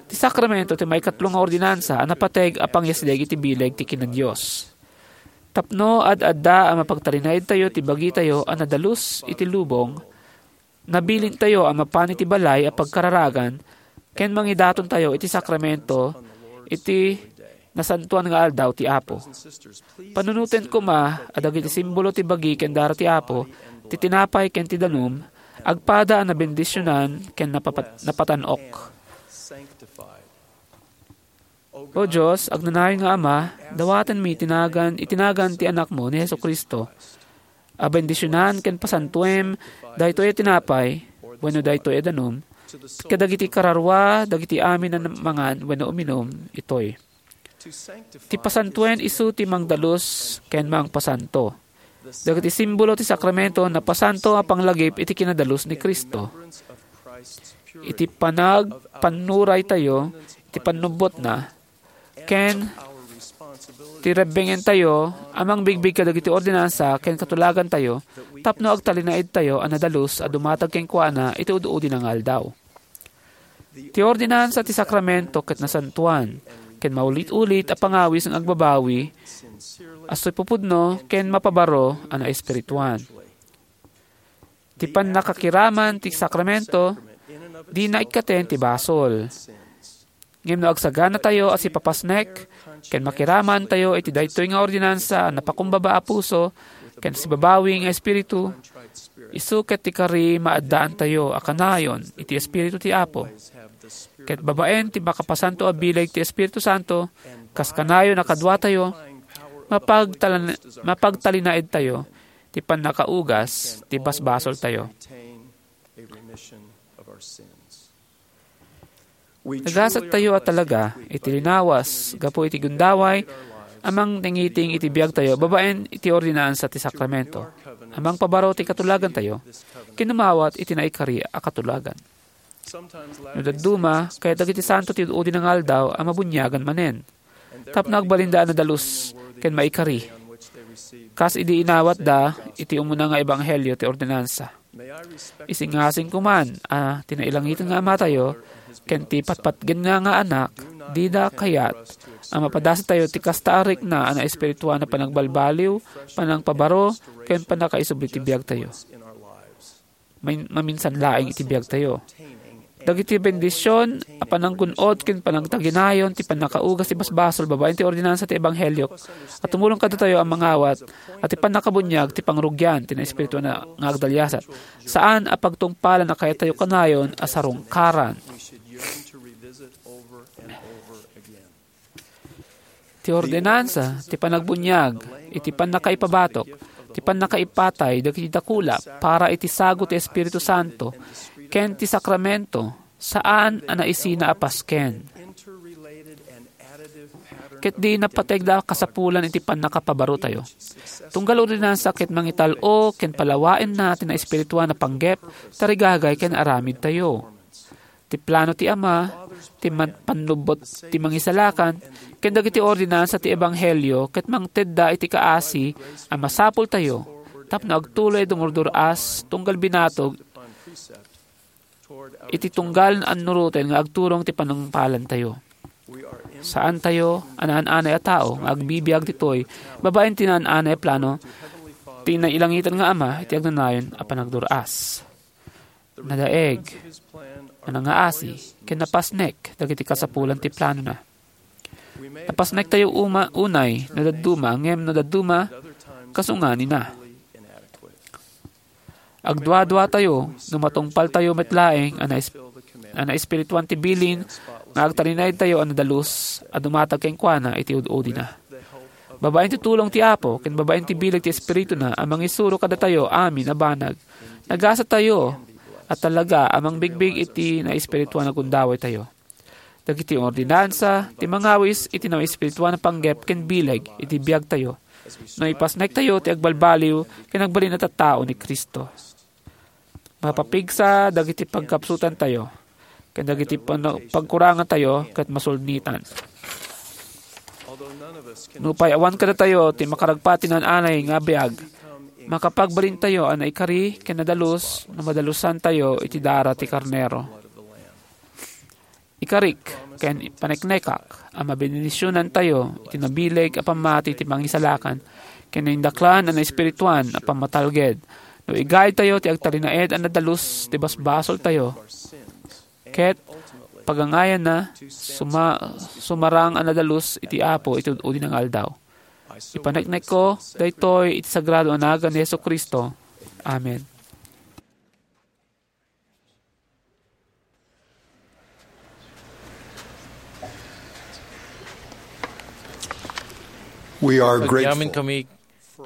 Ti sakramento ti maikatlo nga ordinansa a napateg a pangyasdeg iti bileg ti kinadios. Tapno ad-adda a mapagtalinaedtayo ti bagitayo a nadalus iti lubong, nabilintayo a mapan iti balay a pagkararagan ken mangidatontayo iti sakramento iti nasantoan nga aldaw ti Apo. Panunoten koma a dagiti simbolo ti bagi ken dara ti Apo, ti tinapay ken ti danum, agpada a nabendisionan ken napapat-, napatanok. O Dios, agnanayon nga Ama, dawatenmi iti nagan, iti nagan ti Anakmo ni Jesu-Cristo a bendisionan ken pasantuem daytoy a tinapay wenno daytoy a danum kadagiti kararua dagiti amin a mangan wenno uminum itoy. Ti pasantoen isu ti mangdalus ken mangpasanto. Dagiti simbolo ti sakramento napasanto a panglagip iti kinadalus ni Cristo. Iti panagpannuraytayo iti pannubbotna, ken ti rebbengentayo a mangbigbig kadagiti ordinansa ken katulagantayo tapno agtalinaedtayo a nadalus a dumatag kenkuana iti ud-udi nga aldaw. Ti ordinansa ti sakramento ket nasantoan, ken maulit-ulit a pangawis nga agbabawi a suipupudno ken mapabaro a naespirituan. Ti pannakakiraman ti sakramento, dina ikkaten ti basol. Ngem no agsaganatayo a sipapasnek ken makiramantayo iti daytoy nga ordinansa a napakumbaba a puso ken sibabawi nga espiritu, isu ket ti kari maaddaantayo a kanayon iti Espiritu ti Apo. Ket babaen ti makapasanto a bileg ti Espiritu Santo, kas kanayon a kaduatayo, mapagtalan-, mapagtalinaedtayo ti pannakaugas ti basbasoltayo. Nagasattayo a talaga iti linawas gapu iti gundaway a mangnangiting iti biagtayo babaen iti ordinansa ti sakramento a mangpabaro ti katulagantayo ken umawat iti naikari a katulagan. No dadduma, kayat dagiti santo ti ud-udi nga aldaw a mabuniagan manen tapno agbalinda a nadalus ken maikari, kas idi inawatda iti umuna nga ebanghelio ti ordinansa. Isingasingko man a ti nailangiten nga Amatayo ken ti patpatgenna nga Anak dida kayat a mapadasitayo ti kasta a rikna a naespirituan a panagbalbaliw, panangpabaro, ken pannakaisubli ti biagtayo. Main-, maminsan laeng iti biagtayo. Dagiti bendision a pananggun-od ken panangtaginayon ti pannakaugas ti basbasol babaen ti ordinansa ti ebanghelio a tumulong kadatayo a mangawat a ti pannakabuniag ti pangrugian ti naespirituan a nga agdaliasat. Saan a pagtungpalan a kayat tayo kanayon a sarungkaran. Ti ordinansa, ti panagbuniag, iti pannakaipabatok, ti pannakaipatay dagiti dakula para iti sagut ti Espiritu Santo, ken ti sakramento, saan a naisina a pasken. Ket di napategda a kasapulan iti pannakapabarotayo. Tunggal ordinansa ket mangital-o ken palawaenna ti naespirituan a panggep, tarigagay ken aramidtayo. Ti plano ti Ama, ti man-, pannubbot ti Mangisalakan, ken dagiti ordinansa ti ebanghelio ket mangtedda iti kaasi a masapultayo tapno agtuloy a dumurdur-as tunggal binatog iti tunggal annuroten nga agturong ti panungpalantayo. Saantayo a naan-anay a tao nga agbibiag ditoy babaen ti naan-anay a plano ti nailangiten nga Ama iti agnanayon a panagdur-as. Nadaeg, nanangaasi, ken napasnek dagiti kasapulan ti planona. Napasnektayo uma, unay no dadduma, ngem no dadduma, kasunganina. Agduaduatayo no matungpaltayo met laeng a nais-, a naespirituan ti bilin nga agtalinaedtayo a nadalus a dumatag kenkuana iti ud-udina. Babaen ti tulong ti Apo ken babaen ti bileg ti Espirituna a mangisuro kadatayo amin a banag, nagasatayo a talaga a mangbigbig iti naespirituan a gundawaytayo. Dagiti ordinansa ti mangawis iti naespirituan a panggep ken bileg iti biagtayo no ipasnektayo ti agbalbaliw ken agbalin a tattao ni Cristo. Mapapigsa dagiti pagkapsutantayo ken dagiti pano-, pagkurangantayo ket masulnitan. Nupay awan kadatayo ti makaragpati naan-anay nga biag, makapagbalintayo a naikari ken nadalus no madalusantayo iti dara ti karnero. Ikarik ken paneknekak a mabendisionantayo iti nabileg a pammati ti Mangisalakan ken naindaklan a naespirituan a pammatalged no igaytayo ti agtalinaed a nadalus ti basbasoltayo ket pagangayanna suma-, sumarang a nadalus iti Apo iti ud-udi nga aldaw. Ipaneknekko daytoy iti sagrado a nagan ni Jesu-Cristo. Amen. We are Agyamin grateful kami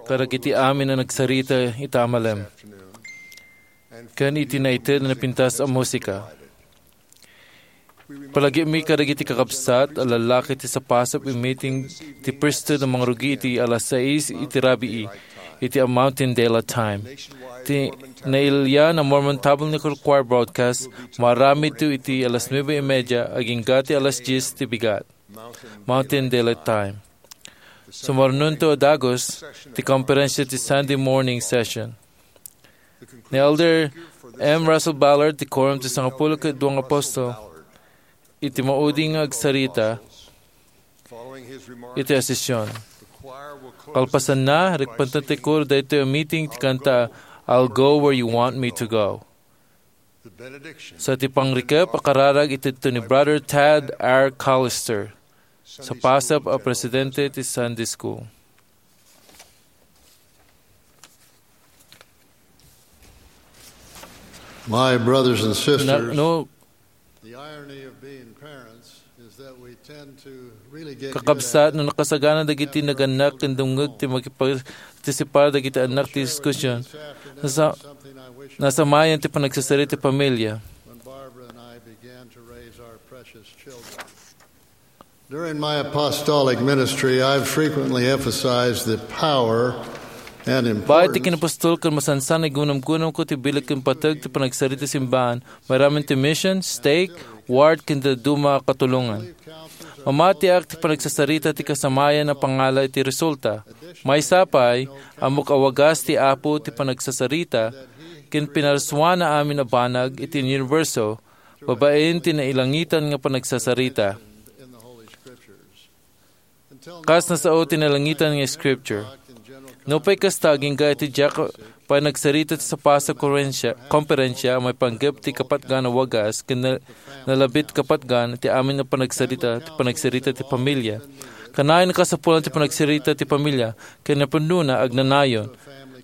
kadagiti amin a nagsarita ita a malem ken iti naited a napintas a musika. Palagipmi kadagiti kakabsat a lallaki ti sapasap a meeting ti priesthood a mangrugi iti alas sais iti rabii iti a Mountain Daylight Time. Ti nailian a Mormon Tabernacle Choir broadcast, maaramidto iti alas nuebe y media agingga ti alas dies ti bigat, Mountain Daylight Time. Sumarnonto a dagus ti komperensia ti Sunday morning session. Ni Elder M. Russell Ballard ti Quorum ti Sangapulo ket Dua nga Apostol iti maudi nga agsarita iti a sesion. Kalpasanna, rikpenten ti koro daytoy a meeting ti kanta, "I'll Go Where You Want Me to Go." Sa ti pangrikep a kararag iti ni Brother Tad R. Callister, sapasap a presidente ti Sunday School. My brothers and sisters, Na-, no, the irony of being parents is that we tend to really get good kakabsat, at no nakasagana dagiti nagannak ken dumngeg ti makipagpartisipar dagiti annak ti diskusyon. Nasa-, nasamayan ti panagsasarita ti pamilya. When Barbara and I began to raise our precious children. During my apostolic ministry, I've frequently emphasized the power and importance. Bayat ti kinapostol ken masansan a gunamgunamko ti bileg ken pateg ti panagsarita ti simbahan, maaramid ti mission, stake, ward, ken dadduma a katulongan. Mamatiak ti panagsasarita ti kasamayan a pangala iti resulta. Maysa pay, ammok a wagas ti Apo ti panagsasarita ken pinarsuana amin a banag iti uniberso, babaen ti nailangitan nga panagsasarita. Kas nasao ti nailangitan nga Scripture. Nupay kasta, agingga iti diak pay nagsarita ti sapasap a konferensia, konferensia a maipanggep ti kapatgan a wagas ken na-, nalabit kapatgan ti amin a panagsarita, ti panagsarita ti pamilya. Kanayon a kasapulan ti panagsarita ti pamilya ken napudnona agnanayon.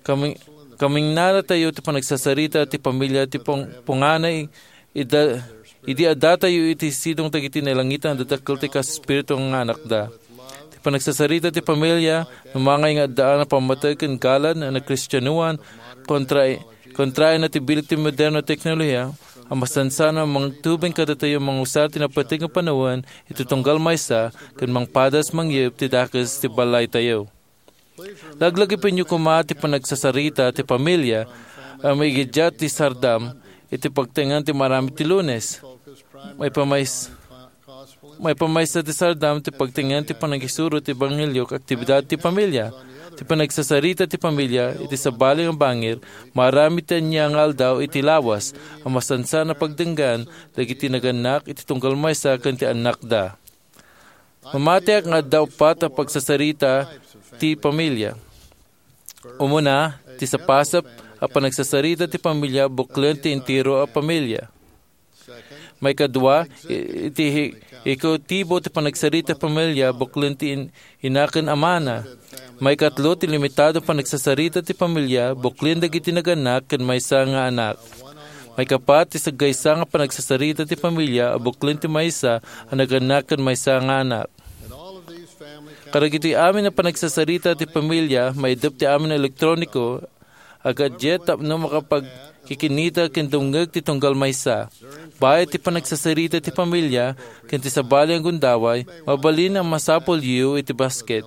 Kami-, kamingnanatayo ti panagsasarita ti pamilya ti pung-, punganay Ida-, idi addatayo iti sidong dagiti nailangitan a dadakkel ti kaespiritu nga anakda. Ti panagsasarita ti pamilya, no mangay nga addaan a pammateg ken galad a nagkristianoan, kontra-, kontraenna ti bileg ti moderno a teknolohiya, a masansan a mangtubeng kadatayo a mangusar ti napateg nga panawen iti tunggal maysa ken mangpadas mangyep ti dakes ti ballaytayo. Laglagipenyo koma ti panagsasarita ti pamilya a maigiddiat ti sardam iti pagtengngan ti maaramid ti Lunes. Maipamays-, maipamaysa ti sardam ti pagtengngan ti panangisuro ti ebanghelio ket aktibidad ti pamilya. Ti panagsasarita ti pamilya iti sabali nga bangir, maaramid ti ania nga aldaw iti lawas a masansan a pagdenggan dagiti nagannak iti tunggal maysa ken ti annakda. Mamatiak nga adda uppat a pagsasarita ti pamilya. Umuna, ti sapasap a panagsasarita ti pamilya buklen ti entero a pamilya. Maikadua, i-, iti hi-, ikautibo ti panagsarita ti pamilya, buklen ti in-, ina ken amana. Maikatlo, ti limitado panagsasarita ti pamilya, buklen dagiti nagannak ken maysa nga anak. Maikapat, ti saggaysa nga panagsasarita ti pamilya, a buklen ti maysa a nagannak ken maysa nga anak. Kadagiti amin a panagsasarita ti pamilya, maidup ti amin a elektroniko, a gadget tapno makapagkikinita ken dumngeg ti tunggal maysa. Baet ti panagsasarita ti pamilya ken ti sabali a gundaway, mabalin a masapulyo iti basket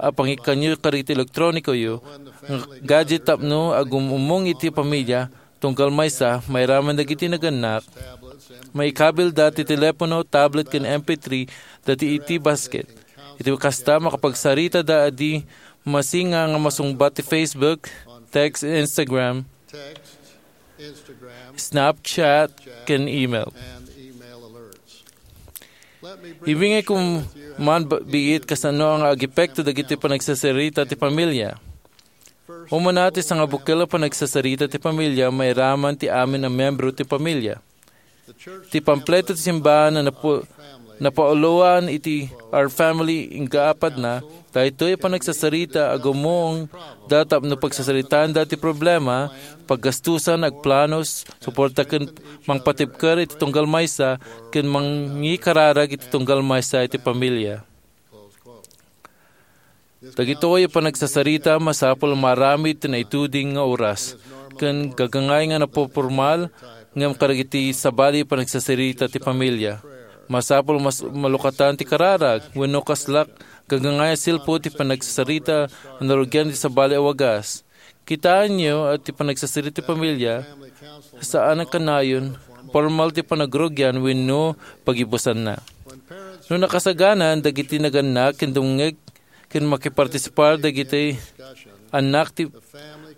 a pangikkanyo kadagiti elektronikoyo nga gadget tapno agum-ummong iti pamilya, tunggal maysa, mairaman dagiti nagannak, maikabilda ti telepono, tablet, ken M P three dati iti basket. Iti kasta, makapagsaritada a di masinga nga masungbat ti Facebook, text, Instagram, Snapchat, ken email. Ibingayko man ba-, biit kasano nga agepekto dagiti panagsasarita ti pamilya. Umuna, ti sangabukel a panagsasarita ti pamilya mairaman ti amin a membro ti pamilya. Ti pampleto ti simbahan a napu-, napauloan iti Our Family inggaapadna, daytoy a panagsasarita a gummuong da tapno pagsasaritaanda ti problema, paggastusan, agplanos, suporta ken mangpatibker iti tunggal maysa ken mangikararag iti tunggal maysa iti pamilya. Dagitoy a panagsasarita masapul a maaramid ti naituding nga oras ken gagangay nga napupormal ngem kadagiti sabali a panagsasarita ti pamilya. Masapul mas malukatan ti kararag wenno kaslak gagangay a silpo ti panagsasarita a narugian ti sabali a wagas. Kitaenyo a ti panagsasarita ti pamilya, saan a kanayon, pormal ti panagrugian wenno pagibusanna. No nakasaganan dagiti nagannak ken dumngeg ken makipartisipar dagiti annak ti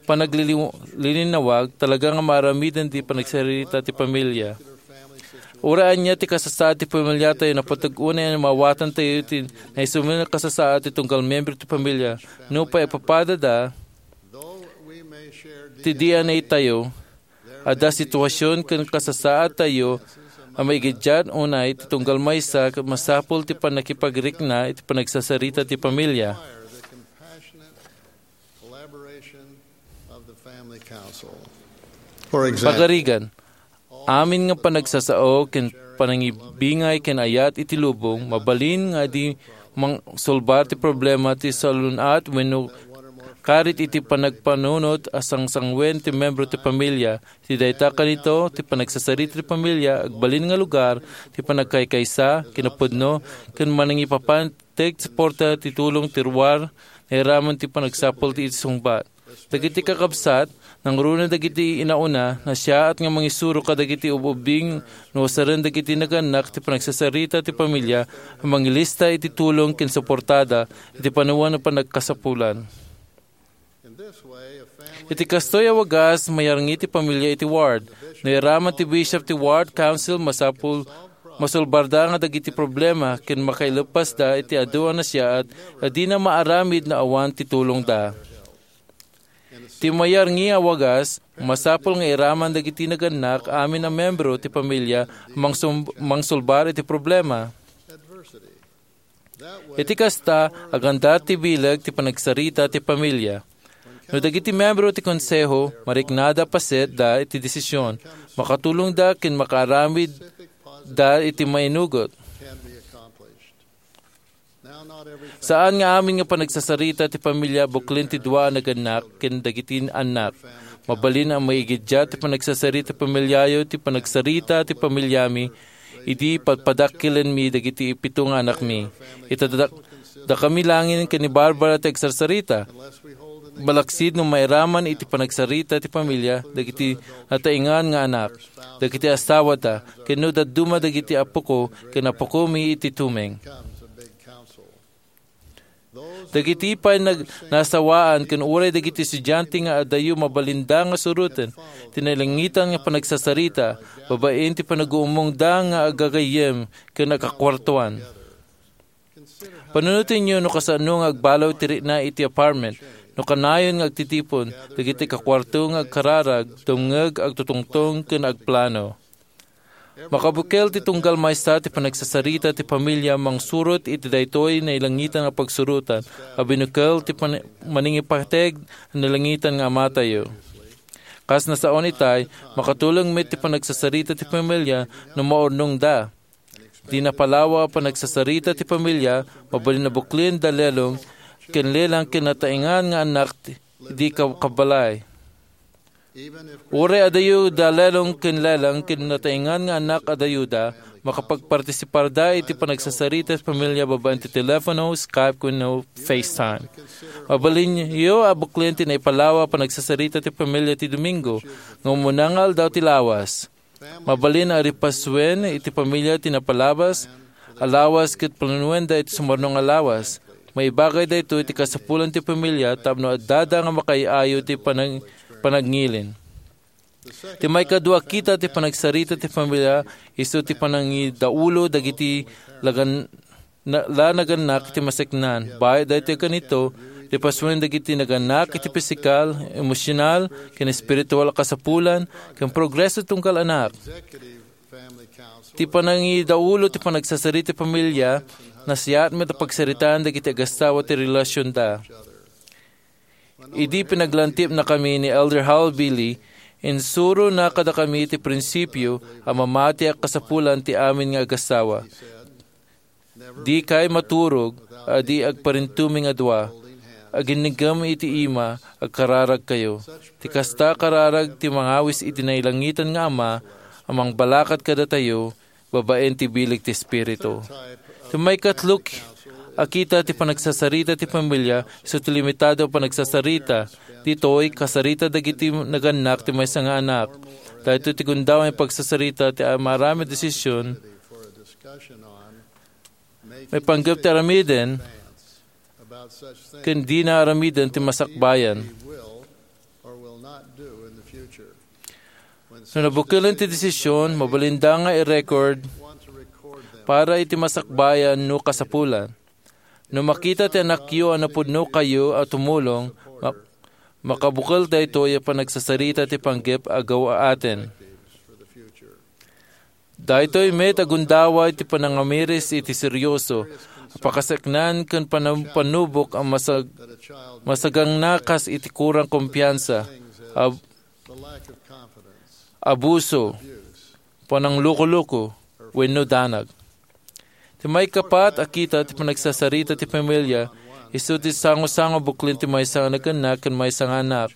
panagliliw-, lilinawag, talaga nga maaramiden ti panagsarita ti pamilya. Uray ania ti kasasaad ti pamilyatayo, napateg unay a maawatantayo ti naisumeng a kasasaad ti tunggal membro ti pamilya. Nupay ipapadada ti D N A tayo, adda sitwasyon ken kasasaadtayo a maigiddiat unay ti tunggal maysa ket masapul ti pannakipagrikna iti panagsasarita ti pamilya. Pagarigan, amin nga panagsasao ken panangibingay ken ayat iti lubong, mabalin nga adi mangsulbar ti problema ti salun-at wenno karit iti panagpanunot a sangsanguen ti membro ti pamilya. Iti dayta kanito, ti panagsasarita ti pamilya agbalin nga lugar ti panagkaykaysa, kinapudno, ken manangipapan ti agsuporta ti tulong ti ruar, nairaman ti panagsapul ti iti sungbat. Dagiti kakabsat, nangruna dagiti inauna, nasiaat nga mangisuro kadagiti ub-ubbing no usaren dagiti nagannak ti panagsasarita ti pamilya a mangilista iti tulong ken suportada iti panawen a panagkasapulan. Iti kastoy a wagas, mayarngi ti pamilya iti ward. Nairaman ti bishop ti ward council, masapul masulbarda nga dagiti problema ken makaileppasda iti adu a nasiaat a dina maaramid no awan ti tulongda. Ti mayarngi a wagas, masapul nga iraman dagiti nagannak amin a membro ti pamilya a mangsum-, mangsulbar iti problema. Iti kasta, aganda ti bileg ti panagsarita ti pamilya. No dagiti membro ti konseho, mariknada a pasetda iti desisyon, makatulongda ken makaaramidda iti mainugot. Saan nga amin nga panagsasarita ti pamilya buklen ti dua a nagannak ken dagiti annak. Mabalin a maigiddiat ti panagsasarita ti pamilyayo ti panagsarita ti pamilyami idi padpadakkelenmi dagiti pito nga anakmi. Ita dak-, dakami laengen ken ni Barbara ti agsarsarita. Malaksid no mairaman iti panagsarita ti pamilya dagiti nataengan nga anak, dagiti asawada, ken no dadduma dagiti apoko ken apokomi iti tumeng. Dagiti pay nag-, nasawaan ken uray dagiti estudiante nga adayo mabalinda nga suroten ti nailangitan nga panagsasarita, babaen ti panaguummongda nga agagayyem ken agkakuartuan. Panunotenyo no kasano nga agbalaw ti rikna iti apartment, no kanayon nga agtitipon dagiti kakuarto nga agkararag, dumngeg, agtutungtong, ken agplano. Makabukel ti tunggal maysa ti panagsasarita ti pamilya mangsurot iti daytoy nailangitan a pagsurotan a binukel ti pan-, manangipateg a nailangitan nga Amatayo. Kas nasaon itay, makatulong met ti panagsasarita ti pamilya no maurnongda. Di napalawa a panagsasarita ti pamilya, mabalin a buklen da lelong ken lelang ken nataengan nga annak ti, di ka-, kabalay. Uray adayo da lelong ken lelang ken nataengan nga annak adayo da, makapagpartisiparda iti panagsasarita ti pamilya babaen ti telepono, Skype, wenno FaceTime. Mabalinyo a buklen ti naipalawa a panagsasarita ti pamilya ti Domingo, nga umuna nga aldaw ti lawas. Mabalin a ripasuen iti pamilya ti napalabas a lawas ket planuenda iti sumarno nga lawas. Maibagay daytoy ti kasapulan ti pamilia tapno addada nga makaay-ayo ti panag-, panagngilin. Ti maikadua, kita ti panagsarita ti pamilia isu ti panangidaulo dagiti lagan-, na-, la nagannak iti maseknan. Bayat daytoy kanito, ti pasuen dagiti nagannak iti pisikal, emosyonal, ken espiritual a kasapulan, ken progreso tunggal anak. Ti panangidaulo ti panagsasarita ti pamilia, nasayaat met a pagsaritaan dagiti agasawa ti relasionda. Idi pinaglantipnakami ni Elder Hal Bailey, insurona kadakami ti prinsipio a mamati a kasapulan ti amin nga agasawa. Dikay maturog a di agparintumeng a dua. Aginnigem iti ima, agkararagkayo. Ti kasta a kararag ti mangawis iti nailangitan nga Ama a mangbalakat kadatayo babaen ti bileg ti Espiritu. Ti maikatlo a kita ti panagsasarita ti pamilia isu ti limitado a panagsasarita. Ditoy, kasarita dagiti nagannak ti maysa nga anak. Daytoy ti gundaway a pagsasarita ti maaramid a desisyon maipanggep ti aramiden ken dina aramiden ti masakbayan. No nabukelen ti desisyon, mabalinda nga i-record para iti masakbayan no kasapulan. No makita ti anakyo a napudnokayo a tumulong, mak-, makabukel daytoy a panagsasarita ti panggep a gaw-aten. Daytoy met a gundaway ti panangamiris iti serioso a pakaseknan ken panam-, panubok a masag-, masagangnakas iti kurang kumpiansa, ab-, abuso, pananglukoluko, wenno danag. Ti maikapat a kita ti panagsasarita ti pamilia, isu ti sangosango buklen ti maysa nga nagannak ken maysa nga anak.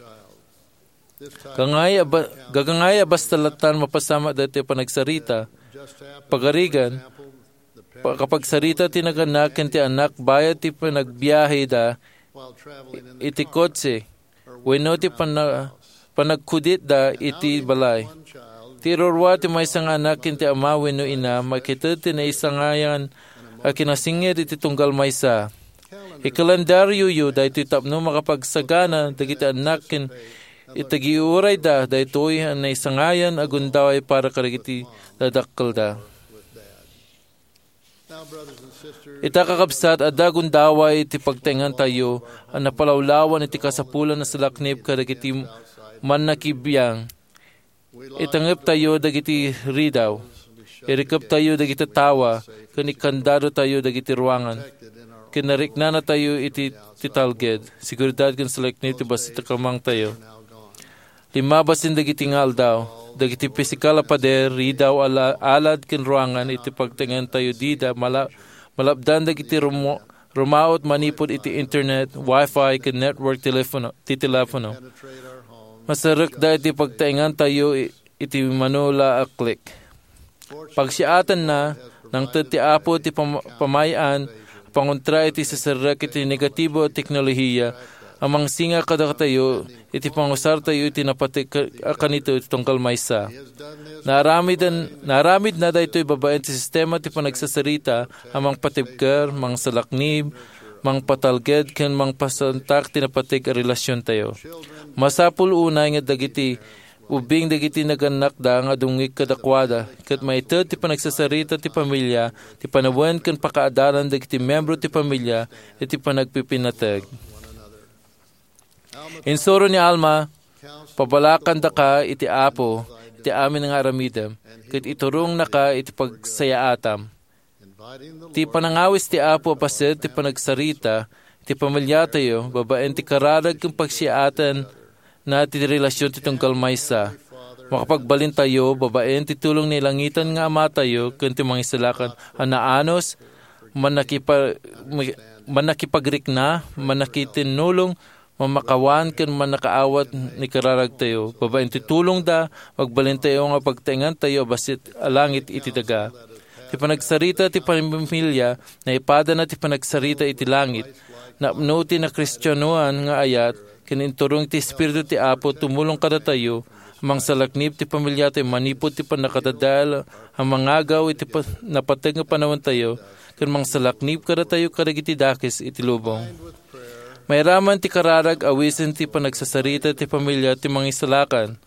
Gangay a ba-, gagangay a basta lattan mapasamak daytoy a panagsarita. Pagarigan, pakapagsarita ti nagannak ken ti anak bayat ti panagbiaheda iti kotse wenno ti pana-, panagkuditda iti balay. Ti irurua ti maysa nga anak ken ti ama wenno ina makited ti naisangayan a kinasingir iti tunggal maysa. Ikalendaryoyo daytoy tapno makapagsagana dagiti annak ken itagiurayda daytoy a naisangayan a gundaway para kadagiti dadakkelda. Ita, kakabsat, adda gundaway ti pagtaengantayo a napalawlawan iti kasapulan a salaknib kadagiti mannakibiang. Itangeptayo dagiti ridaw, irikeptayo dagiti tawa, ken ikkandadotayo dagiti ruangan, ken nariknanatayo iti ti talged, seguridad ken salaknib ti bassit a kamangtayo. Lima basin dagiti nga aldaw, dagiti pisikal a pader, ridaw, ala-, alad ken ruangan iti pagtaengantayo dida mala-, malapdan dagiti rumo-, rumaot manipud iti internet, wifi, ken network telefono, ti telefono. Masarekda iti pagtaengantayo i-, iti mano la a click. Pagsiatenna, nangted ti Apo ti pam-, pamay-an a panguntra iti siserrek iti negatibo a teknolohiya a mangsinga kadatayo iti pangusartayo iti napateg a kanito iti tunggal maysa. Naaramiden, naaramidna daytoy babaen ti sistema ti panagsasarita a mangpatibker, mangsalaknib, mangpatalged, ken mangpasantak ti napateg a relasiontayo. Masapul unay nga dagiti ubbing dagiti nagannakda nga dumngeg kadakuada, ket maited ti panagsasarita ti pamilia, ti panawen ken pakaadalan dagiti membro ti pamilia iti panagpipinateg. Insuro ni Alma, "Pabalakandaka iti Apo, iti amin nga aramidem, ket iturongnaka iti pagsayaatam. Ti panangawis ti Apo a paset ti panagsarita iti pamiliatayo babaen ti kararag ken pagsiaatan na ti relasion ti tunggal maysa. Makapagbalintayo babaen ti tulong ni langitan nga Amatayo ken ti Mangisalakan a naanus, mannakipa-, mannakipagrikna, mannakitinnulong, mamakawan ken mannakaawat ni kararagtayo. Babaen ti tulongda, magbalintayo nga pagtaengantayo a bassit a langit iti daga. Ti panagsarita ti pamilya, naipadana ti panagsarita iti langit. Napno ti nakristianoan nga ayat, ken inturong ti Espiritu ti Apo tumulong kadatayo, mangsalaknib ti pamiliatayo manipud ti pannakadadael a mangagaw iti pa-, napateg nga panawantayo, ken mangsalaknib kadatayo kadagiti dakes iti lubong. Mairaman ti kararag awisen ti panagsasarita ti pamilya ti Mangisalakan,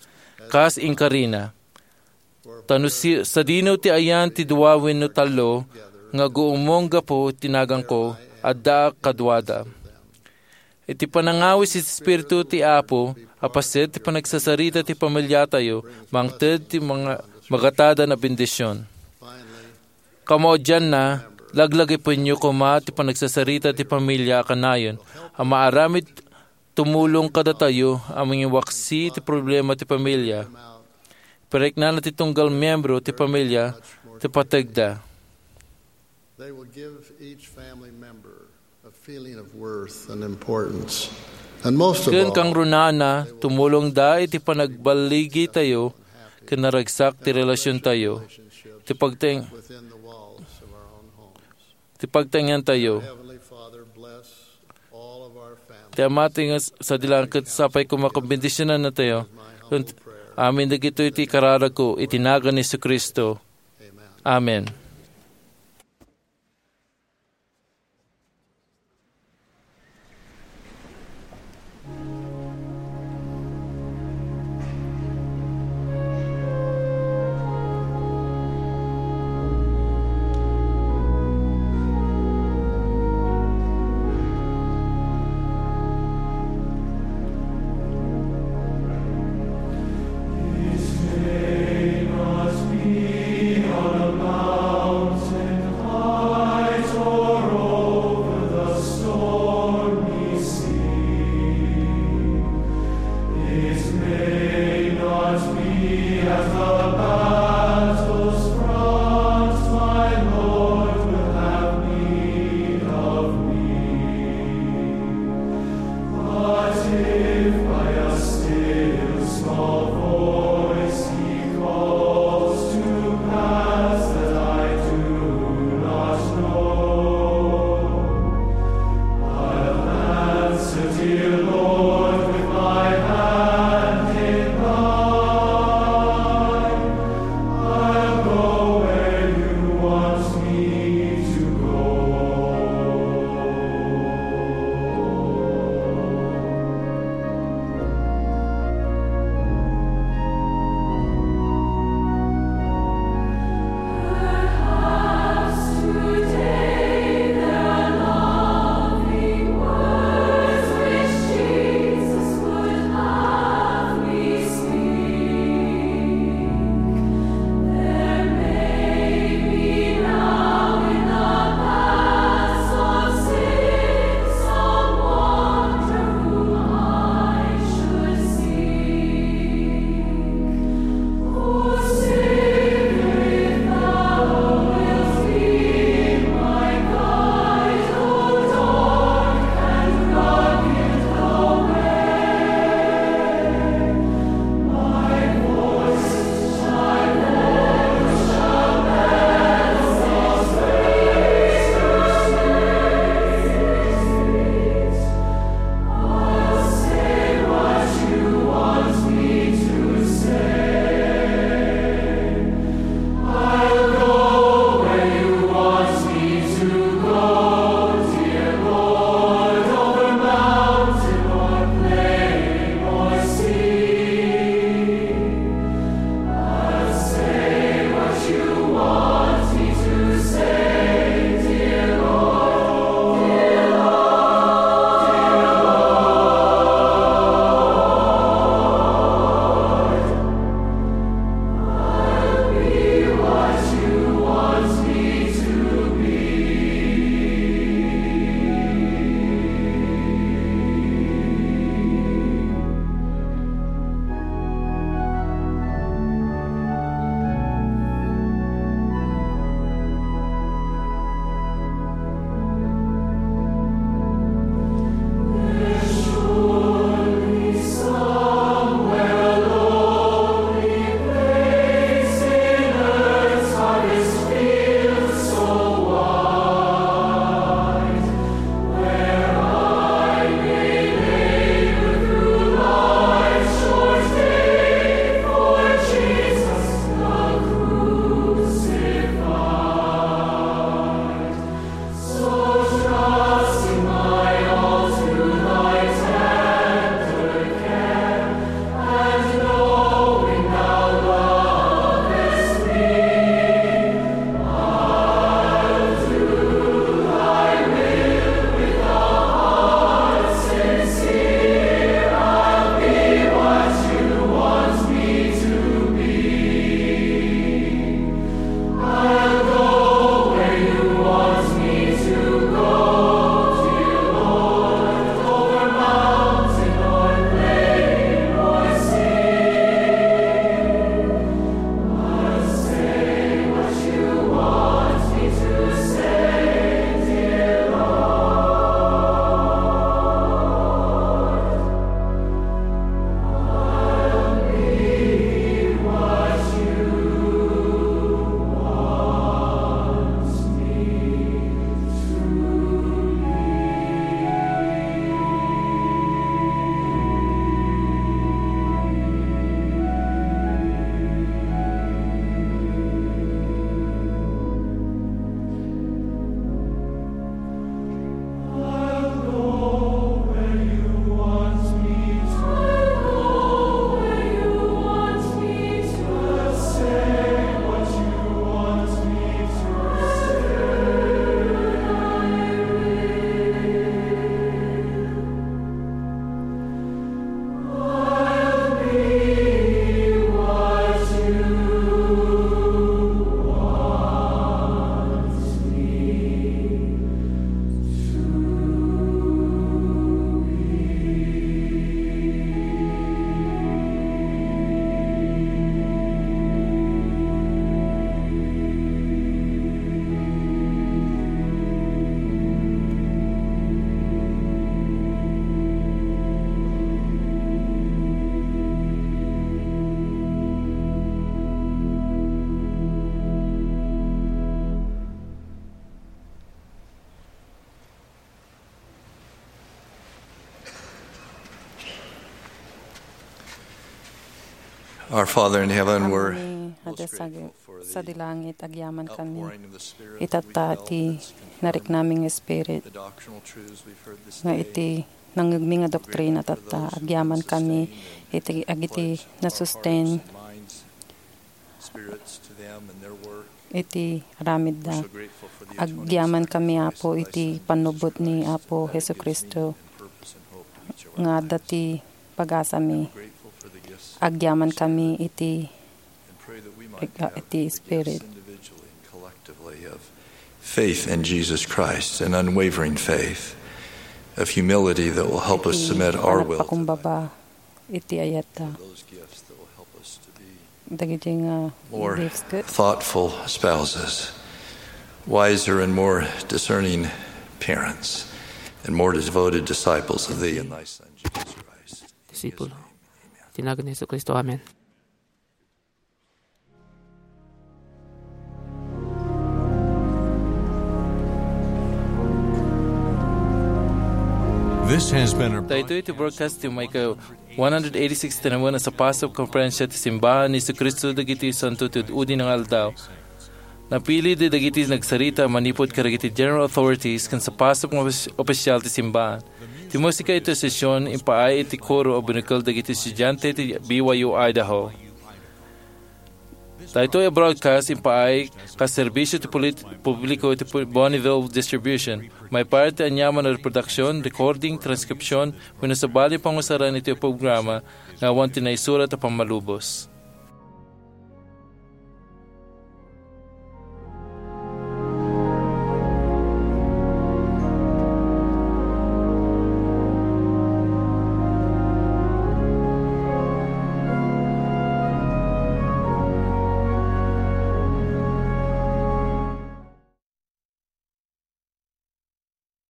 kas inkarina. Ta no si-, sadino ti ayan ti dua wenno tallo nga aguummong gapu ti naganko, addaak kaduada. Iti panangawis ti Espiritu ti Apo, a paset ti panagsasarita ti pamiliatayo, mangted ti mga magatadan a bendision. Kamaudianna, laglagipenyo koma ti panagsasarita ti pamilya a kanayon a maaramid tumulong kadatayo a mangiwaksi ti problema ti pamilya. Pariknana ti tunggal miembro ti pamilya ti pategda. They will give each family member a feeling of worth and importance. And most of Ken all, kangrunana, tumulongda iti panagballigitayo ken naragsak ti relasiontayo. Ti pagteng-, within the walls of our own homes. Ti pagtaengantayo. Heavenly Father, bless all of our families. Ti Ama ti nga sadilanget, sapay koma ken bendisionannatayo. Ken amin dagitoy ti kararagko iti nagan ni Jesu-Cristo. Amen. Our Father in heaven, we're Amami, hada sa, sa dilangit, agyaman kami. Itatta ti nariknami nga Spirit, nga iti nangngegmi nga doktrina tatta, agyaman kami iti, agiti nasusten iti aramidda. Agyaman kami, Apo, iti pannubbot ni Apo Jesu-Cristo nga adda ti pagasami. Agyaman kami iti, iti Spirit. Faith in Jesus Christ, an unwavering faith of humility that will help us submit our will to Iti panagpakumbaba iti ayatda. Dagiti nga more gifts ket thoughtful spouses, wiser and more discerning parents, and more devoted disciples of Thee and Thy Son, Jesus Christ. Disipulo. Iti nagan ni Jesu-Cristo. Amen. This has been a Daytoy ti broadcast ti maika one hundred eighty-six tinawen a sapasap konferensya ti simbahan ni Jesu-Cristo dagiti santo ti ud-udi nga aldaw. Napili dagiti nagsarita manipud kadagiti general authorities ken sapasap nga ofis-, opisyal ti simbahan. Ti musika iti sesion impaay iti koro a binukel dagiti estudiante ti B Y U Idaho. Daytoy a broadcast impaay kas serbisyo ti pulit-, publiko iti pu-, Bonneville Distribution. Maipaay ti aniaman a reproduksion, recording, transcription, wenno sabali a pangusaran iti programa nga awan ti naisurat a pammalubos.